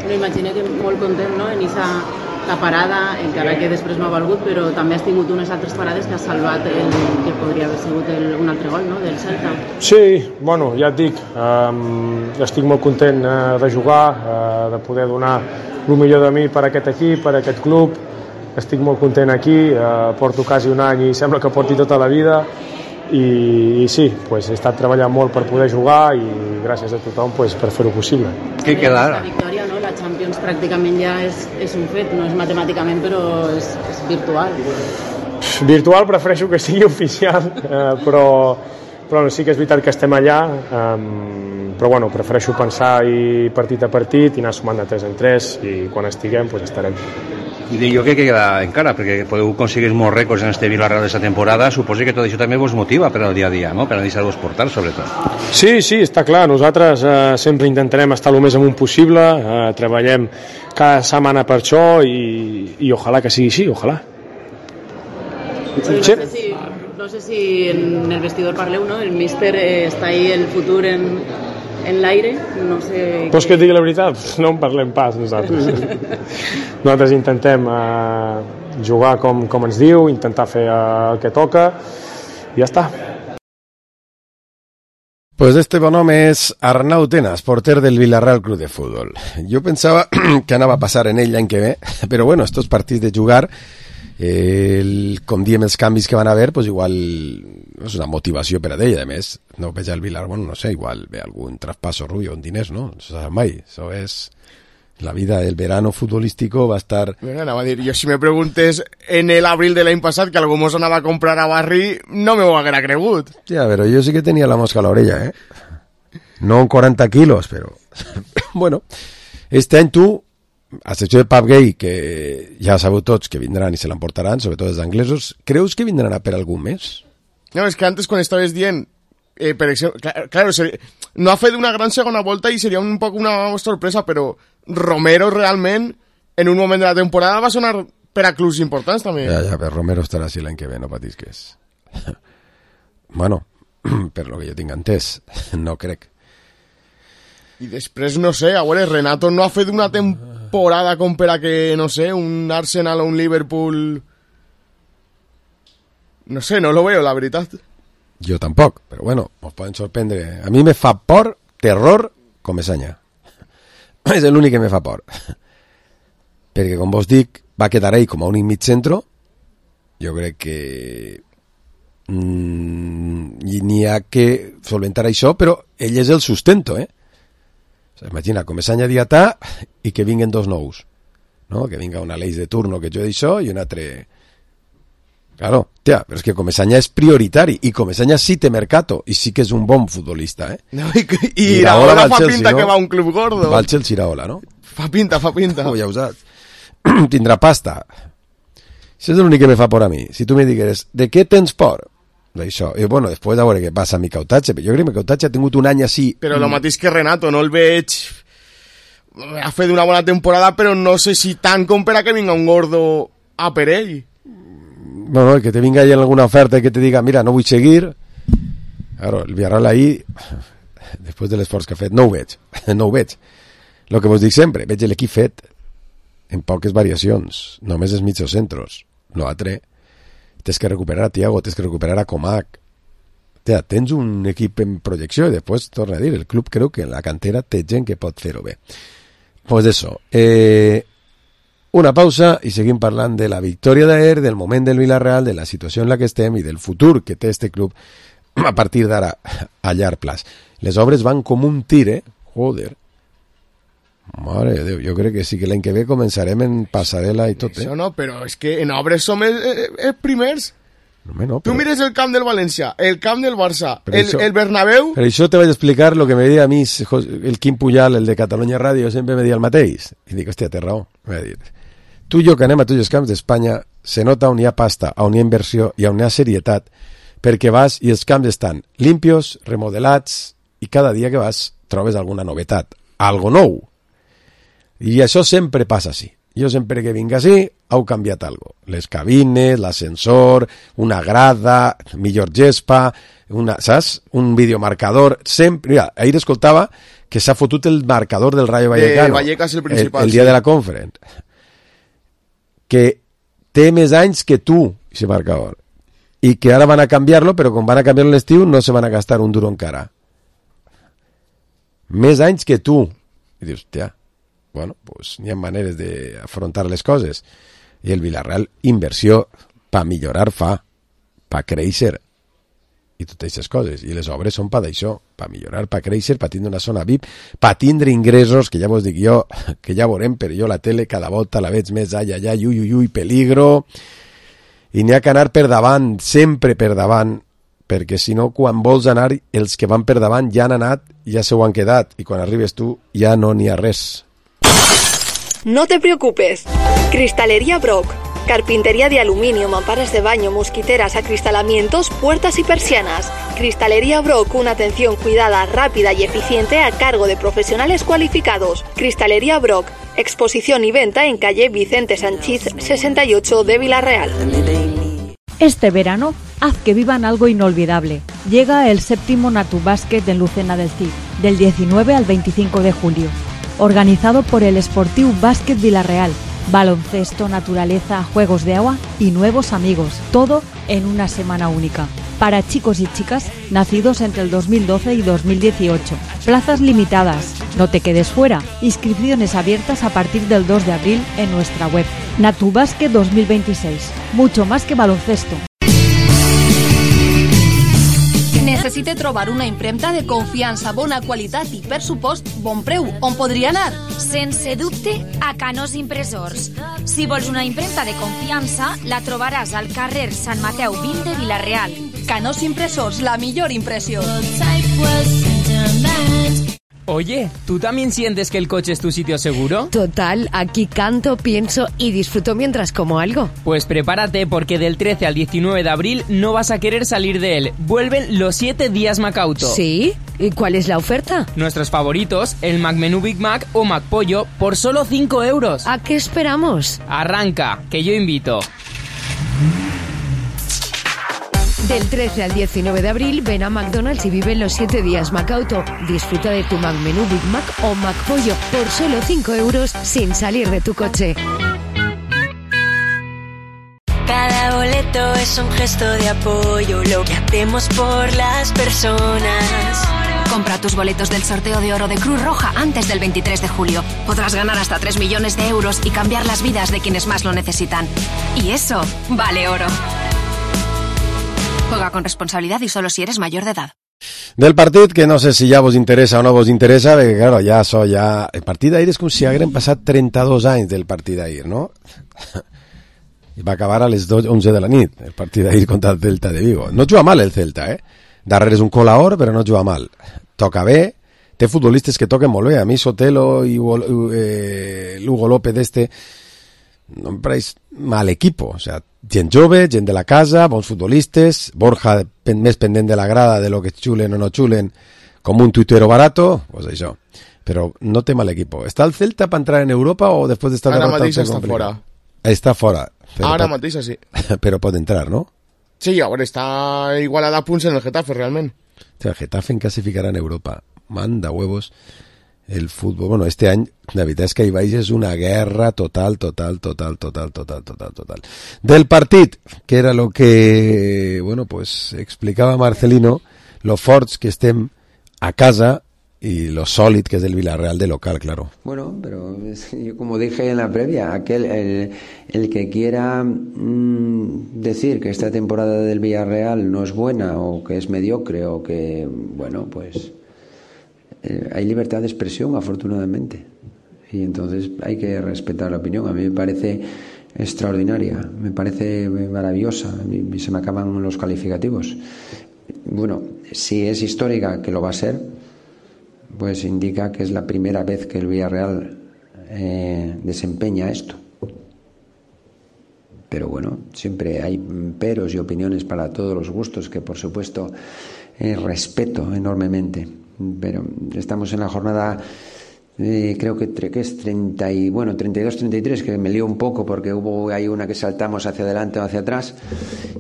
Lo imagino que muy contento, ¿no? En esa la parada, encara que després no ha valgut, però també has tingut unes altres parades que has salvat el que podria haver sigut el, un altre gol, no?, del Celta. Sí, bueno, ja et dic, um, estic molt content uh, de jugar, uh, de poder donar el millor de mi per a aquest equip, per a aquest club. Estic molt content aquí, uh, porto quasi un any i sembla que porti tota la vida. I, i sí, pues, he estat treballant molt per poder jugar i gràcies a tothom pues, per fer-ho possible. Què queda ara? La victòria, no? La Champions pràcticament ja és, és un fet, no és matemàticament però és, és virtual. Virtual prefereixo que sigui oficial, eh, però, però sí que és veritat que estem allà, eh, però bueno, prefereixo pensar i partit a partit i anar sumant de tres en tres i quan estiguem pues, estarem. I dic jo que queda encara, perquè podeu aconseguir molts rècords en este Vila-real d'aquesta temporada, suposo que tot això també vos motiva per al dia a dia, no? Per a deixar-vos portar, sobretot. Sí, sí, està clar, nosaltres eh, sempre intentarem estar el més amunt possible, eh, treballem cada setmana per això i, i ojalà que sigui així, ojalà. Sí, no, sé si, no sé si en el vestidor parleu, no? El míster eh, està ahí el futur en... en l'aire, no sé... Vols que et digui la veritat? No en parlem pas, nosaltres. Nosaltres intentem eh, jugar com, com ens diu, intentar fer eh, el que toca, i ja està. Pues este bon home és Arnau Tenas, porter del Villarreal Club de Fútbol. Jo pensava que anava a passar en ell l'any que ve, però bueno, estos partits de jugar, eh, el, com diem els canvis que van haver, pues igual és una motivació per a ell, a més, no veig el Villar, bueno, no sé, igual ve algun traspaso rubio en diners, no? No se sap mai, això és... La vida, el verano futbolístico va a estar... Bueno, anava a dir, jo si me preguntes en el abril de l'any passat que algú mos anava a comprar a Barri, no me ho haguera cregut. Ja, però jo sí que tenia la mosca a l'orella, eh? No en quaranta quilos, però... bueno, este any tu, a excepció de Pap Gay, que ja sabeu tots que vindran i se l'emportaran, sobretot els anglesos, creus que vindran a per algú més? No, és que antes quan estaves dient, eh, per exemple, claro, claro seria, no ha fet una gran segona volta i seria un poc una sorpresa, però Romero realment, en un moment de la temporada, va sonar per a clubs importants també. Ja, ja, però Romero estarà així l'any que ve, no patisques. Bueno, per lo que jo tinc entès, no crec. I després, no sé, a veure, Renato no ha fet una temporada com per a que, no sé, un Arsenal o un Liverpool... No sé, no lo veo, la veritat. Jo tampoc, però bueno, us poden sorprendre. A mi me fa por, terror, Comesaña. És l'únic que me fa por. Perquè, com vos dic, va quedar ell com a únic mig centro. Jo crec que mm, n'hi ha que solventar això, però ell és el sustento, eh? O sea, imagina, Comesaña diatà i que vinguen dos nous. No? Que vinga una Aleix de turno que jo d'això i un altre... Claro, tia, però és que Comesaña és prioritari i Comesaña sí té mercato i sí que és un bon futbolista, eh? No, i i Iraola fa Chelsea, pinta no? Que va a un club gordo. Va al Chelsea Iraola, no? Fa pinta, fa pinta. Oh, ja ho saps. Tindrà pasta. Això és l'únic que me fa por a mi. Si tu me digueres, de què tens por? D'això. I bueno, després a veure què passa amb Micautache. Jo crec que Micautache ha tingut un any així... Però el mateix que Renato, no el veig... Ha fet una bona temporada, però no sé si tant com per a que vinga un gordo a per ell. Bueno, que te vinga ahí en alguna oferta y que te diga, mira, no vull seguir. Claro, el Villarreal ahí, després de l'esforç que ha fet, no ho veig, no ho veig. El que vos dic sempre, veig l'equip fet en poques variacions, només els mitjos centros. L'altre, tens que recuperar a Thiago, tens que recuperar a Comac. Tea, tens un equip en projecció i després, torna a dir, el club creu que en la cantera té gent que pot fer-ho bé. Pues eso, eh... una pausa i seguim parlant de la victòria d'ahir, del moment del Villarreal, de la situació en la que estem i del futur que té este club a partir d'ara a llarg plaç. Les obres van com un tir, eh? Joder. Mare de Déu, jo crec que sí que l'any que ve començarem en passarel·la i tot, eh? Això no, però és que en obres som els, els primers. No, no, però... Tu mires el camp del València, el camp del Barça, el, això, el Bernabéu... Per això te vaig explicar lo que me deia a mi el Quim Pujal, el de Catalunya Ràdio, sempre me deia el mateix. I dic, hòstia, té raó. Me va dir... Tu i jo que anem a tots els camps d'Espanya, se nota on hi ha pasta, on hi ha inversió i on hi ha serietat, perquè vas i els camps estan limpios, remodelats, i cada dia que vas trobes alguna novetat, algo nou. I això sempre passa així. Jo sempre que vinc així, heu canviat algo. Les cabines, l'ascensor, una grada, millor gespa, una, saps? Un videomarcador, sempre... Mira, ahir escoltava que s'ha fotut el marcador del Rayo Vallecano. Eh, Vallecas el principal. El, el dia sí. de la conference. que té més anys que tu, ese marcador, i que ara van a canviar-lo, però quan van a canviar-lo l'estiu no se van a gastar un duro encara. Més anys que tu. I dius, hòstia, bueno, pues n'hi ha maneres d'afrontar les coses. I el Villarreal, inversió per millorar fa, per créixer, i totes aquestes coses. I les obres són per d'això, per millorar, per créixer, per tindre una zona V I P, per tindre ingressos, que ja vos dic jo, que ja veurem, però jo la tele cada volta la veig més ai, ai, ai, ui, ui, ui, peligro, i n'hi ha que anar per davant, sempre per davant, perquè si no, quan vols anar, els que van per davant ja han anat, ja se ho han quedat, i quan arribes tu ja no n'hi ha res. No te preocupes. Cristalería Brock. Carpintería de aluminio, mamparas de baño, mosquiteras, acristalamientos, puertas y persianas. Cristalería Brock, una atención cuidada, rápida y eficiente a cargo de profesionales cualificados. Cristalería Brock, exposición y venta en calle Vicente Sanchís sesenta y ocho de Villarreal. Este verano, haz que vivan algo inolvidable. Llega el séptimo Natubásquet en Lucena del Cid, del diecinueve al veinticinco de julio. Organizado por el Sportiu Básquet Villarreal. Baloncesto, naturaleza, juegos de agua y nuevos amigos. Todo en una semana única. Para chicos y chicas nacidos entre el dos mil doce y dos mil dieciocho. Plazas limitadas. No te quedes fuera. Inscripciones abiertas a partir del dos de abril en nuestra web. Natubásquet dos mil veintiséis. Mucho más que baloncesto. Necessite trobar una impremta de confiança, bona qualitat i, per supost, bon preu. On podria anar? Sense dubte, a Canós Impressors. Si vols una impremta de confiança, la trobaràs al carrer Sant Mateu vint de Vila-real. Canós Impressors, la millor impressió. Oye, ¿tú también sientes que el coche es tu sitio seguro? Total, aquí canto, pienso y disfruto mientras como algo. Pues prepárate porque del trece al diecinueve de abril no vas a querer salir de él. Vuelven los siete días Macauto. ¿Sí? ¿Y cuál es la oferta? Nuestros favoritos, el McMenú Big Mac o McPollo, por solo cinco euros. ¿A qué esperamos? Arranca, que yo invito. Del trece al diecinueve de abril, ven a McDonald's y vive los siete días Macauto. Disfruta de tu McMenú Big Mac o McPollo por solo cinco euros sin salir de tu coche. Cada boleto es un gesto de apoyo, lo que hacemos por las personas. Compra tus boletos del sorteo de oro de Cruz Roja antes del veintitrés de julio. Podrás ganar hasta tres millones de euros y cambiar las vidas de quienes más lo necesitan. Y eso vale oro. Juega con responsabilidad y solo si eres mayor de edad. Del partit, que no sé si ja vos interessa o no vos interessa, perquè, claro, ja so ja... El partit d'ahir és com si hagueren passat trenta-dos anys del partit d'ahir, no? I va acabar a les onze de la nit, el partit d'ahir contra el Celta de Vigo. No juga mal el Celta, eh? Darrere és un colaor, però no juga mal. Toca bé, té futbolistes que toquen molt bé. A mi Sotelo i eh, Lugo López d'este no em pareix mal equipo, o sea, gent jove, gent de la casa, bons futbolistes, Borja pen, més pendent de la grada de lo que xulen o no xulen, com un tuitero barato, pues això, però no té mal equipo. ¿Està el Celta para entrar en Europa o después de estar Ara derrotado? mateix està fora. Està fora. Ara pot, mateix, sí. Però pot entrar, ¿no? Sí, a veure, està igualada a punts en el Getafe, realment. O sea, el Getafe en clasificarà en Europa. Manda huevos. El fútbol, bueno, este any la veritat és que hi baix és una guerra total, total, total, total, total, total, total. Del partit, que era lo que, bueno, pues explicaba Marcelino, lo forts que estem a casa y lo sólido que es el Villarreal de local, claro. Bueno, pero yo como dije en la previa, aquel el, el que quiera mmm, decir que esta temporada del Villarreal no es buena o que es mediocre o que, bueno, pues... Eh, hay libertad de expresión, afortunadamente, y entonces hay que respetar la opinión. A mí me parece extraordinaria, me parece maravillosa, a mí se me acaban los calificativos. Bueno, si es histórica, que lo va a ser, pues indica que es la primera vez que el Villarreal eh, desempeña esto. Pero bueno, siempre hay peros y opiniones para todos los gustos, que por supuesto eh, respeto enormemente. Pero estamos en la jornada, eh, creo que, que es treinta y, bueno, treinta y dos treinta y tres, que me lío un poco porque hubo hay una que saltamos hacia adelante o hacia atrás,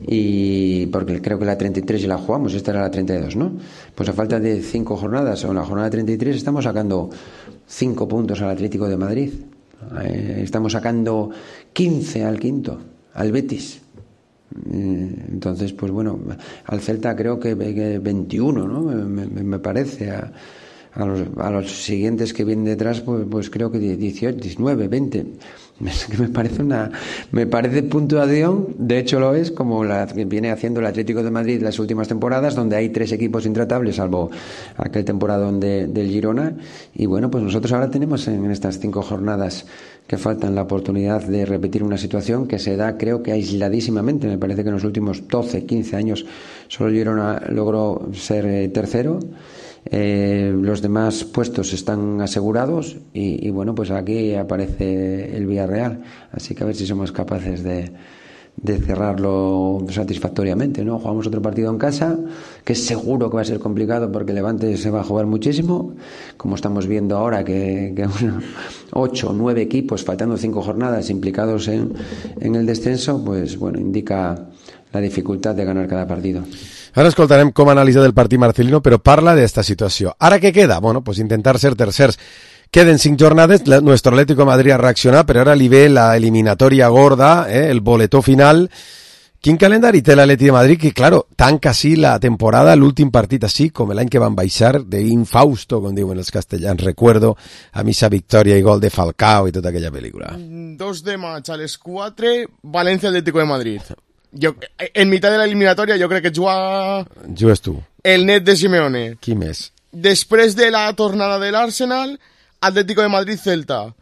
y porque creo que la treinta y tres ya la jugamos, esta era la treinta y dos, ¿no? Pues a falta de cinco jornadas, o en la jornada treinta y tres estamos sacando cinco puntos al Atlético de Madrid. Eh, estamos sacando quince al quinto, al Betis. Eh, entonces, pues bueno, al Celta creo que, que veintiuno, ¿no? Me, me, me parece. A, a, los, a los siguientes que vienen detrás, pues, pues creo que dieciocho, diecinueve, veinte. Es que me parece una, me parece puntuación, de hecho lo es, como la que viene haciendo el Atlético de Madrid las últimas temporadas, donde hay tres equipos intratables, salvo aquel temporadón de, del Girona. Y bueno, pues nosotros ahora tenemos en estas cinco jornadas que faltan la oportunidad de repetir una situación que se da, creo que aisladísimamente. Me parece que en los últimos doce, quince años solo el Girona logró ser eh, tercero. Eh, los demás puestos están asegurados y, y bueno, pues aquí aparece el Villarreal, así que a ver si somos capaces de, de cerrarlo satisfactoriamente, ¿no? Jugamos otro partido en casa, que es seguro que va a ser complicado porque Levante se va a jugar muchísimo, como estamos viendo ahora que, que bueno, ocho o nueve equipos, faltando cinco jornadas, implicados en, en el descenso, pues bueno, indica la dificultad de ganar cada partido. Ara escoltarem com analitza del partit Marcelino, però parla d'esta situació. Ara què queda? Bueno, pues intentar ser tercers. Queden cinc jornades, la, nuestro Atlético de Madrid ha reaccionat, però ara li ve la eliminatòria gorda, eh, el boletó final. Quin calendari té l'Atleti de Madrid? Que, claro, tanca així la temporada, l'últim partit així, com l'any que van baixar, d'infausto, com diuen els castellans. Recuerdo a misa victòria i gol de Falcao i tota aquella pel·lícula. dos de maig a les quatre, València Atlético de Madrid. Jo, en mitad de la eliminatòria jo crec que juga... Jugues tu. El net de Simeone. Qui més? Després de la tornada de l'Arsenal, Atlético de Madrid-Celta.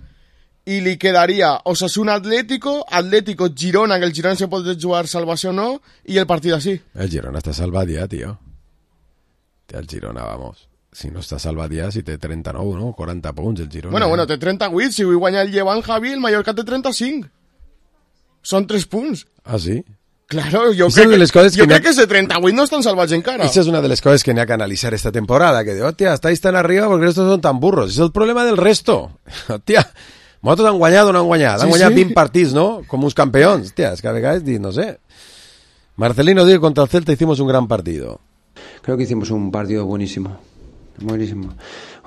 I li quedaria Osasuna-Atlético, Atlético-Girona, que el Girona se pot jugar salvació o no, i el partit així. El Girona està salvat ja, tio. El Girona, vamos. Si no està salvat ja, si té trenta-nou, no? quaranta punts, el Girona. Bueno, bueno, té trenta-vuit. Si vull guanyar el Llevant, Javi, el Mallorca té trenta-cinc. Són tres punts. Ah, sí? Claro, jo crec, que, que, jo crec que ese treinta-vuit no estan salvats encara. Esa es una de las cosas que n'hi ha que analizar esta temporada, que digo, hostia, estáis tan arriba porque estos son tan burros. Es el problema del resto. Hostia, nosaltres han guanyat o no han guanyat? Han sí, guanyat sí. vint partits, ¿no? Com uns campeons. Hostia, es que a vegades dic, no sé. Marcelino dice que contra el Celta hicimos un gran partido. Creo que hicimos un partido buenísimo. Buenísimo.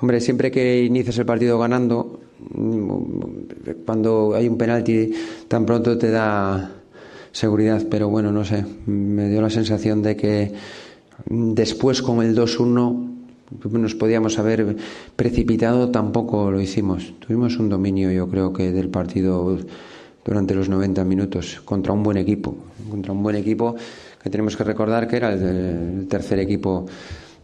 Hombre, siempre que inicias el partido ganando, cuando hay un penalti tan pronto te da seguridad, pero bueno, no sé, me dio la sensación de que después con el dos uno nos podíamos haber precipitado, tampoco lo hicimos. Tuvimos un dominio, yo creo que del partido durante los noventa minutos contra un buen equipo, contra un buen equipo que tenemos que recordar que era el, el tercer equipo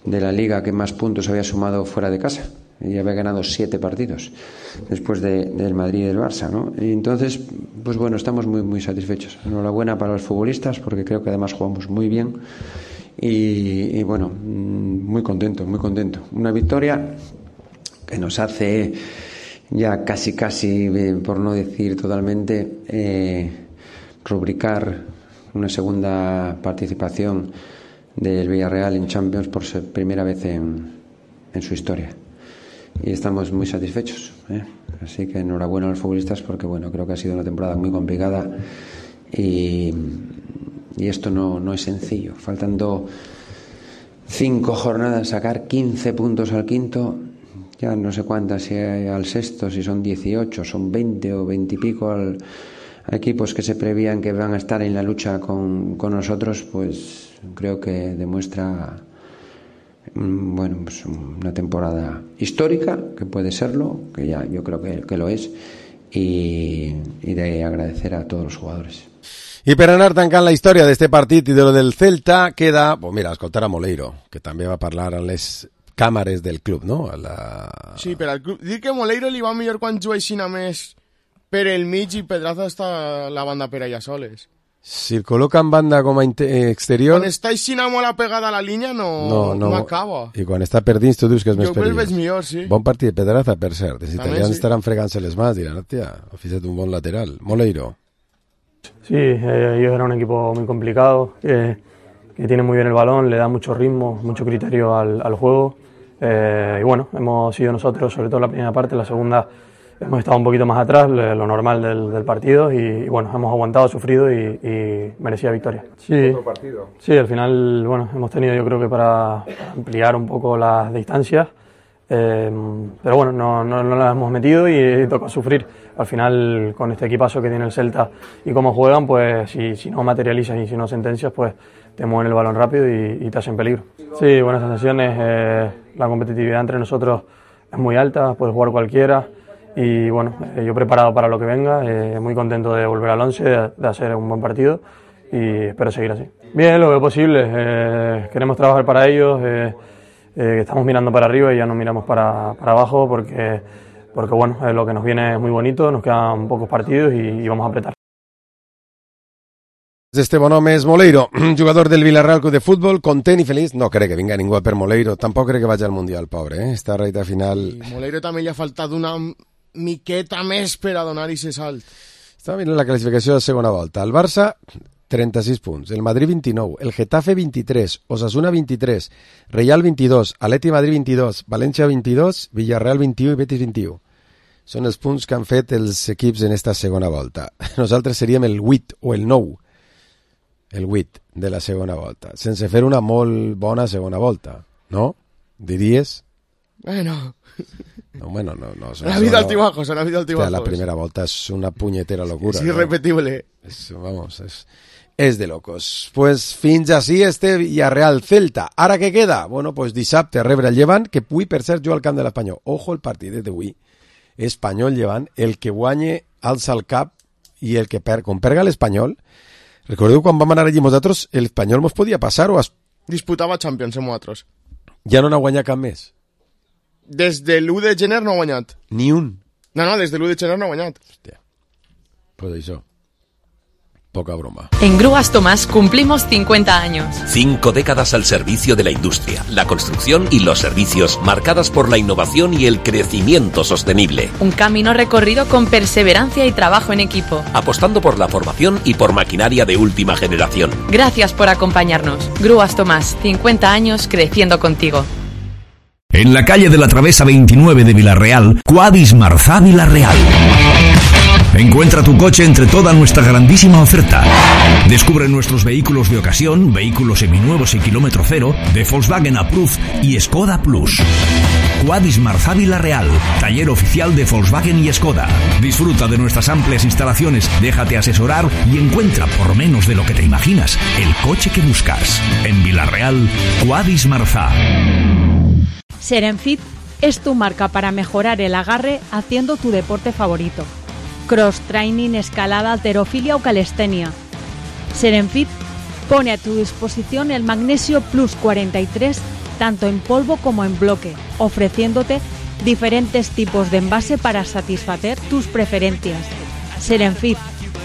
de la liga que más puntos había sumado fuera de casa y había ganado siete partidos después de, del Madrid y del Barça, ¿no? Y entonces, pues bueno, estamos muy muy satisfechos. Enhorabuena para los futbolistas porque creo que además jugamos muy bien y, y bueno, muy contento, muy contento. Una victoria que nos hace ya casi casi, por no decir totalmente, eh, rubricar una segunda participación del Villarreal en Champions por primera vez en, en su historia. Y estamos muy satisfechos, ¿eh? Así que enhorabuena a los futbolistas porque bueno, creo que ha sido una temporada muy complicada y, y esto no, no es sencillo. Faltando cinco jornadas, sacar quince puntos al quinto, ya no sé cuántas, si al sexto, si son dieciocho, son veinte o veinte y pico al, a equipos que se prevían que van a estar en la lucha con, con nosotros, pues creo que demuestra bueno, pues una temporada histórica, que puede serlo, que ya yo creo que, que lo es, y, y de agradecer a todos los jugadores. I per anar tancant la història d'este partit i de lo del Celta queda, pues mira, escoltar a Moleiro, que també va parlar a les càmeres del club, no? A la... Sí, per al club. Dic que Moleiro li va millor quan juguessin a més per el mig i Pedraza està la banda per allà soles. Si el col·loca en banda com a exterior... Quan està així molt apegada a la línia no, no, no, no acaba. I quan està per dins tu dius que és més perillós. Jo veig millor, sí. Bon partit de Pedraza, per cert. Els italians sí. estaran fregant-se les mans, diran, hòstia, ha fet un bon lateral. Moleiro. Sí, eh, ellos eran un equipo muy complicado, que, que tiene muy bien el balón, le da mucho ritmo, mucho criterio al, al juego. Eh, y bueno, hemos sido nosotros, sobre todo en la primera parte, la segunda hemos estado un poquito más atrás, lo normal del, del partido, y, y bueno, hemos aguantado, sufrido y, y merecía victoria. Sí, ¿Otro partido? Sí, al final, bueno, hemos tenido yo creo que para ampliar un poco las distancias, Eh, pero bueno, no, no, no la hemos metido y toca sufrir. Al final, con este equipazo que tiene el Celta y cómo juegan, pues si, si no materializas y si no sentencias, pues te mueven el balón rápido y, y te hacen peligro. Sí, buenas sensaciones. Eh, la competitividad entre nosotros es muy alta, puede jugar cualquiera. Y bueno, eh, yo preparado para lo que venga, eh, muy contento de volver al once, de, de hacer un buen partido y espero seguir así. Bien, lo veo posible. Eh, queremos trabajar para ellos. Eh, Eh, estamos mirando para arriba y ya no miramos para, para abajo porque, porque bueno, eh, lo que nos viene es muy bonito, nos quedan pocos partidos y, y vamos a apretar. Este bon home és Moleiro, jugador del Villarreal Club de Futbol, content i feliç. No crec que vinga ningú per Moleiro, tampoc crec que vagi al Mundial, pobre, eh? Esta recta final... I Moleiro també li ha faltat una miqueta més per a donar-hi ese salt. Estava mirant la classificació de segona volta. El Barça, trenta-sis punts, el Madrid vint-i-nou, el Getafe vint-i-tres, Osasuna vint-i-tres, Real vint-i-dos, Atleti Madrid vint-i-dos, València vint-i-dos, Villarreal vint-i-u i Betis vint-i-u. Són els punts que han fet els equips en esta segona volta. Nosaltres seríem el vuit o el nou, el vuit de la segona volta, sense fer una molt bona segona volta, no? Diries? Bueno... No, bueno, no, no. Ha habido altibajos, ha habido altibajos. La primera volta es una puñetera locura. Es irrepetible. ¿no? Es, vamos, es, es de locos. Pues fins així este Villarreal Celta. Ara què queda? Bueno, pues dissabte rebre el Llevant, que avui per cert juga al camp de l'Espanyol. Ojo el partidet d'avui. Espanyol Llevant, el que guanye alça el cap i el que perd. Com perga l'Espanyol, recordeu quan vam anar allí nosaltres, l'Espanyol mos podia passar o es... Disputava Champions amb nosaltres. Ja no n'ha guanyat cap més. Des de l'u de gener no ha guanyat. Ni un. No, no, des de l'u de gener no ha guanyat. Hòstia. Pues això. Poca broma. En Grúas Tomás cumplimos cincuenta años. Cinco décadas al servicio de la industria, la construcción y los servicios, marcadas por la innovación y el crecimiento sostenible. Un camino recorrido con perseverancia y trabajo en equipo. Apostando por la formación y por maquinaria de última generación. Gracias por acompañarnos. Grúas Tomás, cincuenta años creciendo contigo. En la calle de la Travesa veintinueve de Villarreal, Quadis Marzá Villarreal. Encuentra tu coche entre toda nuestra grandísima oferta. Descubre nuestros vehículos de ocasión, vehículos seminuevos y kilómetro cero, de Volkswagen Approved y Skoda Plus. Quadis Marzá Villarreal, taller oficial de Volkswagen y Skoda. Disfruta de nuestras amplias instalaciones, déjate asesorar y encuentra, por menos de lo que te imaginas, el coche que buscas. En Villarreal, Quadis Marzá. Serenfit es tu marca para mejorar el agarre haciendo tu deporte favorito. Cross training, escalada, halterofilia o calistenia. Serenfit pone a tu disposición el Magnesio Plus cuarenta y tres tanto en polvo como en bloque, ofreciéndote diferentes tipos de envase para satisfacer tus preferencias. Serenfit,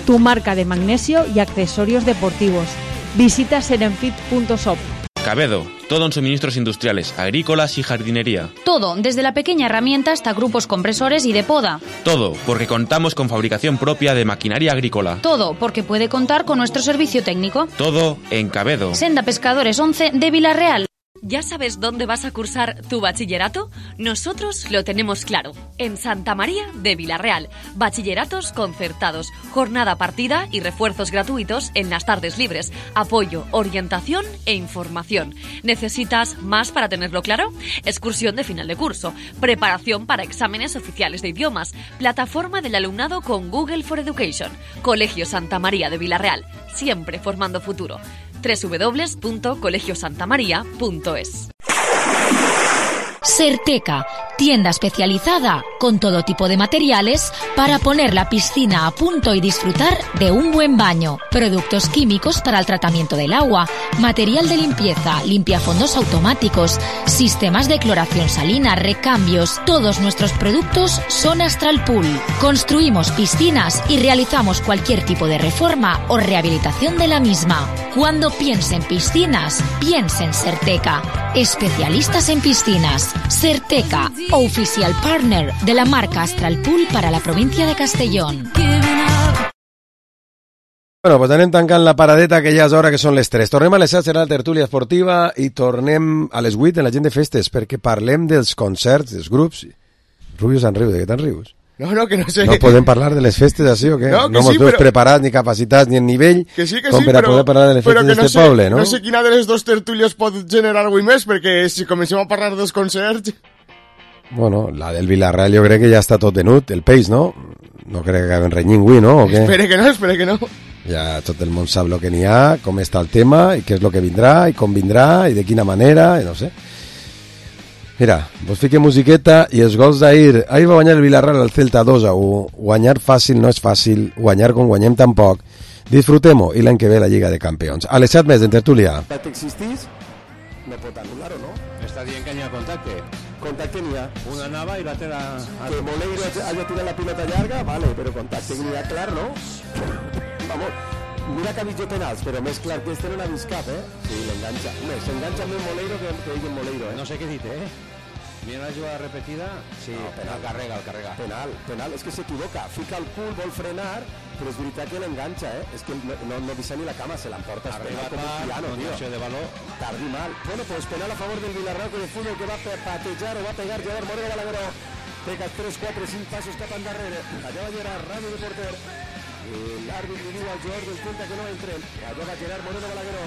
tu marca de magnesio y accesorios deportivos. Visita serenfit punto shop. Cabedo, todo en suministros industriales, agrícolas y jardinería. Todo, desde la pequeña herramienta hasta grupos compresores y de poda. Todo, porque contamos con fabricación propia de maquinaria agrícola. Todo, porque puede contar con nuestro servicio técnico. Todo en Cabedo. Senda Pescadores once de Villarreal. ¿Ya sabes dónde vas a cursar tu bachillerato? Nosotros lo tenemos claro. En Santa María de Villarreal. Bachilleratos concertados, jornada partida y refuerzos gratuitos en las tardes libres. Apoyo, orientación e información. ¿Necesitas más para tenerlo claro? Excursión de final de curso. Preparación para exámenes oficiales de idiomas. Plataforma del alumnado con Google for Education. Colegio Santa María de Villarreal. Siempre formando futuro. doble u doble u doble u punto colegio santa maría punto es. Certeca, tienda especializada con todo tipo de materiales para poner la piscina a punto y disfrutar de un buen baño. Productos químicos para el tratamiento del agua, material de limpieza, limpiafondos automáticos, sistemas de cloración salina, recambios. Todos nuestros productos son Astral Pool. Construimos piscinas y realizamos cualquier tipo de reforma o rehabilitación de la misma. Cuando piense en piscinas, piense en Certeca. Especialistas en piscinas. Certeca, oficial partner de la marca Astral Pool para la provincia de Castellón. Bueno, pues anem tancant la paradeta, que ja és hora, que són les tres. Tornem a les set, serà la tertúlia esportiva, i tornem a les vuit en la gent de festes, perquè parlem dels concerts, dels grups. Rubio se'n riu, de què te'n rius? No, no, que no sé. No podem parlar de les festes així o què? No, que no mos sí, veus però... preparats, ni capacitats, ni en nivell, que sí, que com sí, per a però, poder parlar de les festes no d'este sé, poble, no? No sé quina de les dos tertúlies pot generar avui més, perquè si comencem a parlar dels concerts... Bueno, la del Villarreal jo crec que ja està tot venut, el peix, no? No crec que acaben renyint avui, no? O què? Espere que no, espere que no. Ja tot el món sap el que n'hi ha, com està el tema, i què és el que vindrà, i com vindrà, i de quina manera, i no sé. Mira, vos fique musiqueta i els gols d'ahir. Ahir va guanyar el Villarreal al Celta dos a u. Guanyar fàcil no és fàcil, guanyar com guanyem tampoc. Disfrutem-ho, i l'any que ve la Lliga de Campions. A les set més en tertúlia. Existís, no pot anul·lar-ho, no? Està dient que n'hi ha contacte. Contacte n'hi ha. Una anava i l'altra... Que Moleiro haya tirat la pilota llarga, vale, però contacte n'hi ha clar, no? Vamos, mira que ha vist jo penals, però més clar que este no n'ha vist cap, eh? Sí, l'enganxa. Més, s'enganxa amb el Moleiro que, que diguen Moleiro, eh? No sé què dit, eh? Mira la jugada repetida, sí, no, penal, el carrega, el carrega. Penal, penal, és que s'equivoca, fica el cul, vol frenar, però és veritat que l'enganxa, eh? És que no, no, no deixa ni la cama, se l'emporta, és penal com un piano, tio. De valor. Tardi mal. Bueno, pues penal a favor del Villarreal de fútbol que va a patejar o va a pegar Gerard Moreno Balagueró. Pega tres, quatre, cinc passos cap endarrere. Allà va Gerard, ràdio de porter. L'àrbit li diu al jugador del Celta que no entren. Allà va Gerard Moreno Balagueró.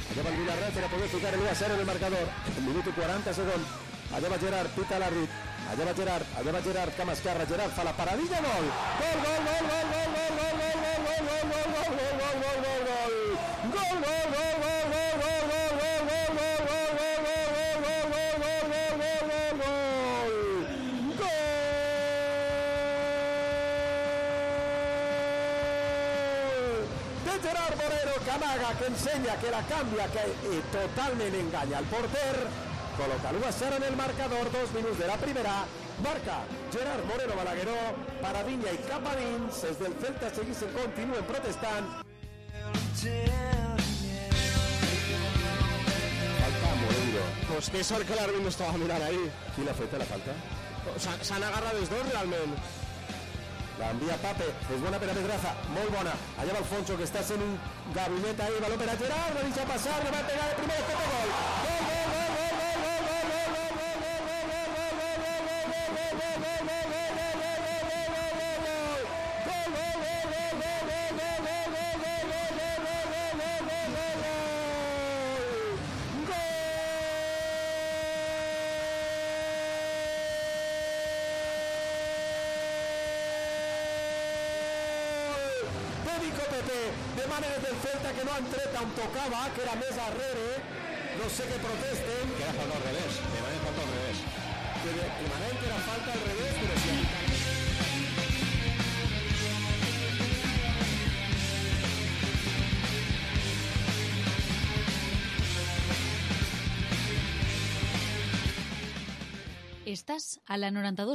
Allà va el Villarreal per a poder ficar el u a cero en el marcador. En minut i quaranta segons. Allà va Gerard, pita l'àrbit. Allà va Gerard, allà va Gerard, cama esquerra. Gerard fa la paradilla, gol! Gol, gol, gol, gol, gol, gol, gol, gol, gol, gol, gol, gol, gol, gol, gol, gol, gol! Gol, gol, gol, gol, gol, gol, gol, Gerard Moreno, que amaga, que ensenya, que la canvia, que eh, totalment enganya el porter. Col·loca l'u a zero en el marcador, dos minuts de la primera. Marca Gerard Moreno Balagueró, Paravinya i cap a dins. Els del Celta segueixen, continuen protestant. Falta Moreiro. Pues qué sort que l'àrbit no estava mirant ahí. Qui l'ha fet la falta? S'han agarrat els dos realment. La envia Pape, és bona per a Pedraza, molt bona. Allà va Alfonso, que està sent un gabinet ahí, baló per a Gerard, va deixar passar, le va pegar de primer, este gol. Gol, gol, gol, gol, gol, gol, gol, gol, gol, gol, demana des del Celta que no han tret on tocava, que era més arrere, no sé què protesten. Que era falta al revés, demanen falta al revés. Que demanen que era falta al revés, però sí. Estàs a la noranta-dos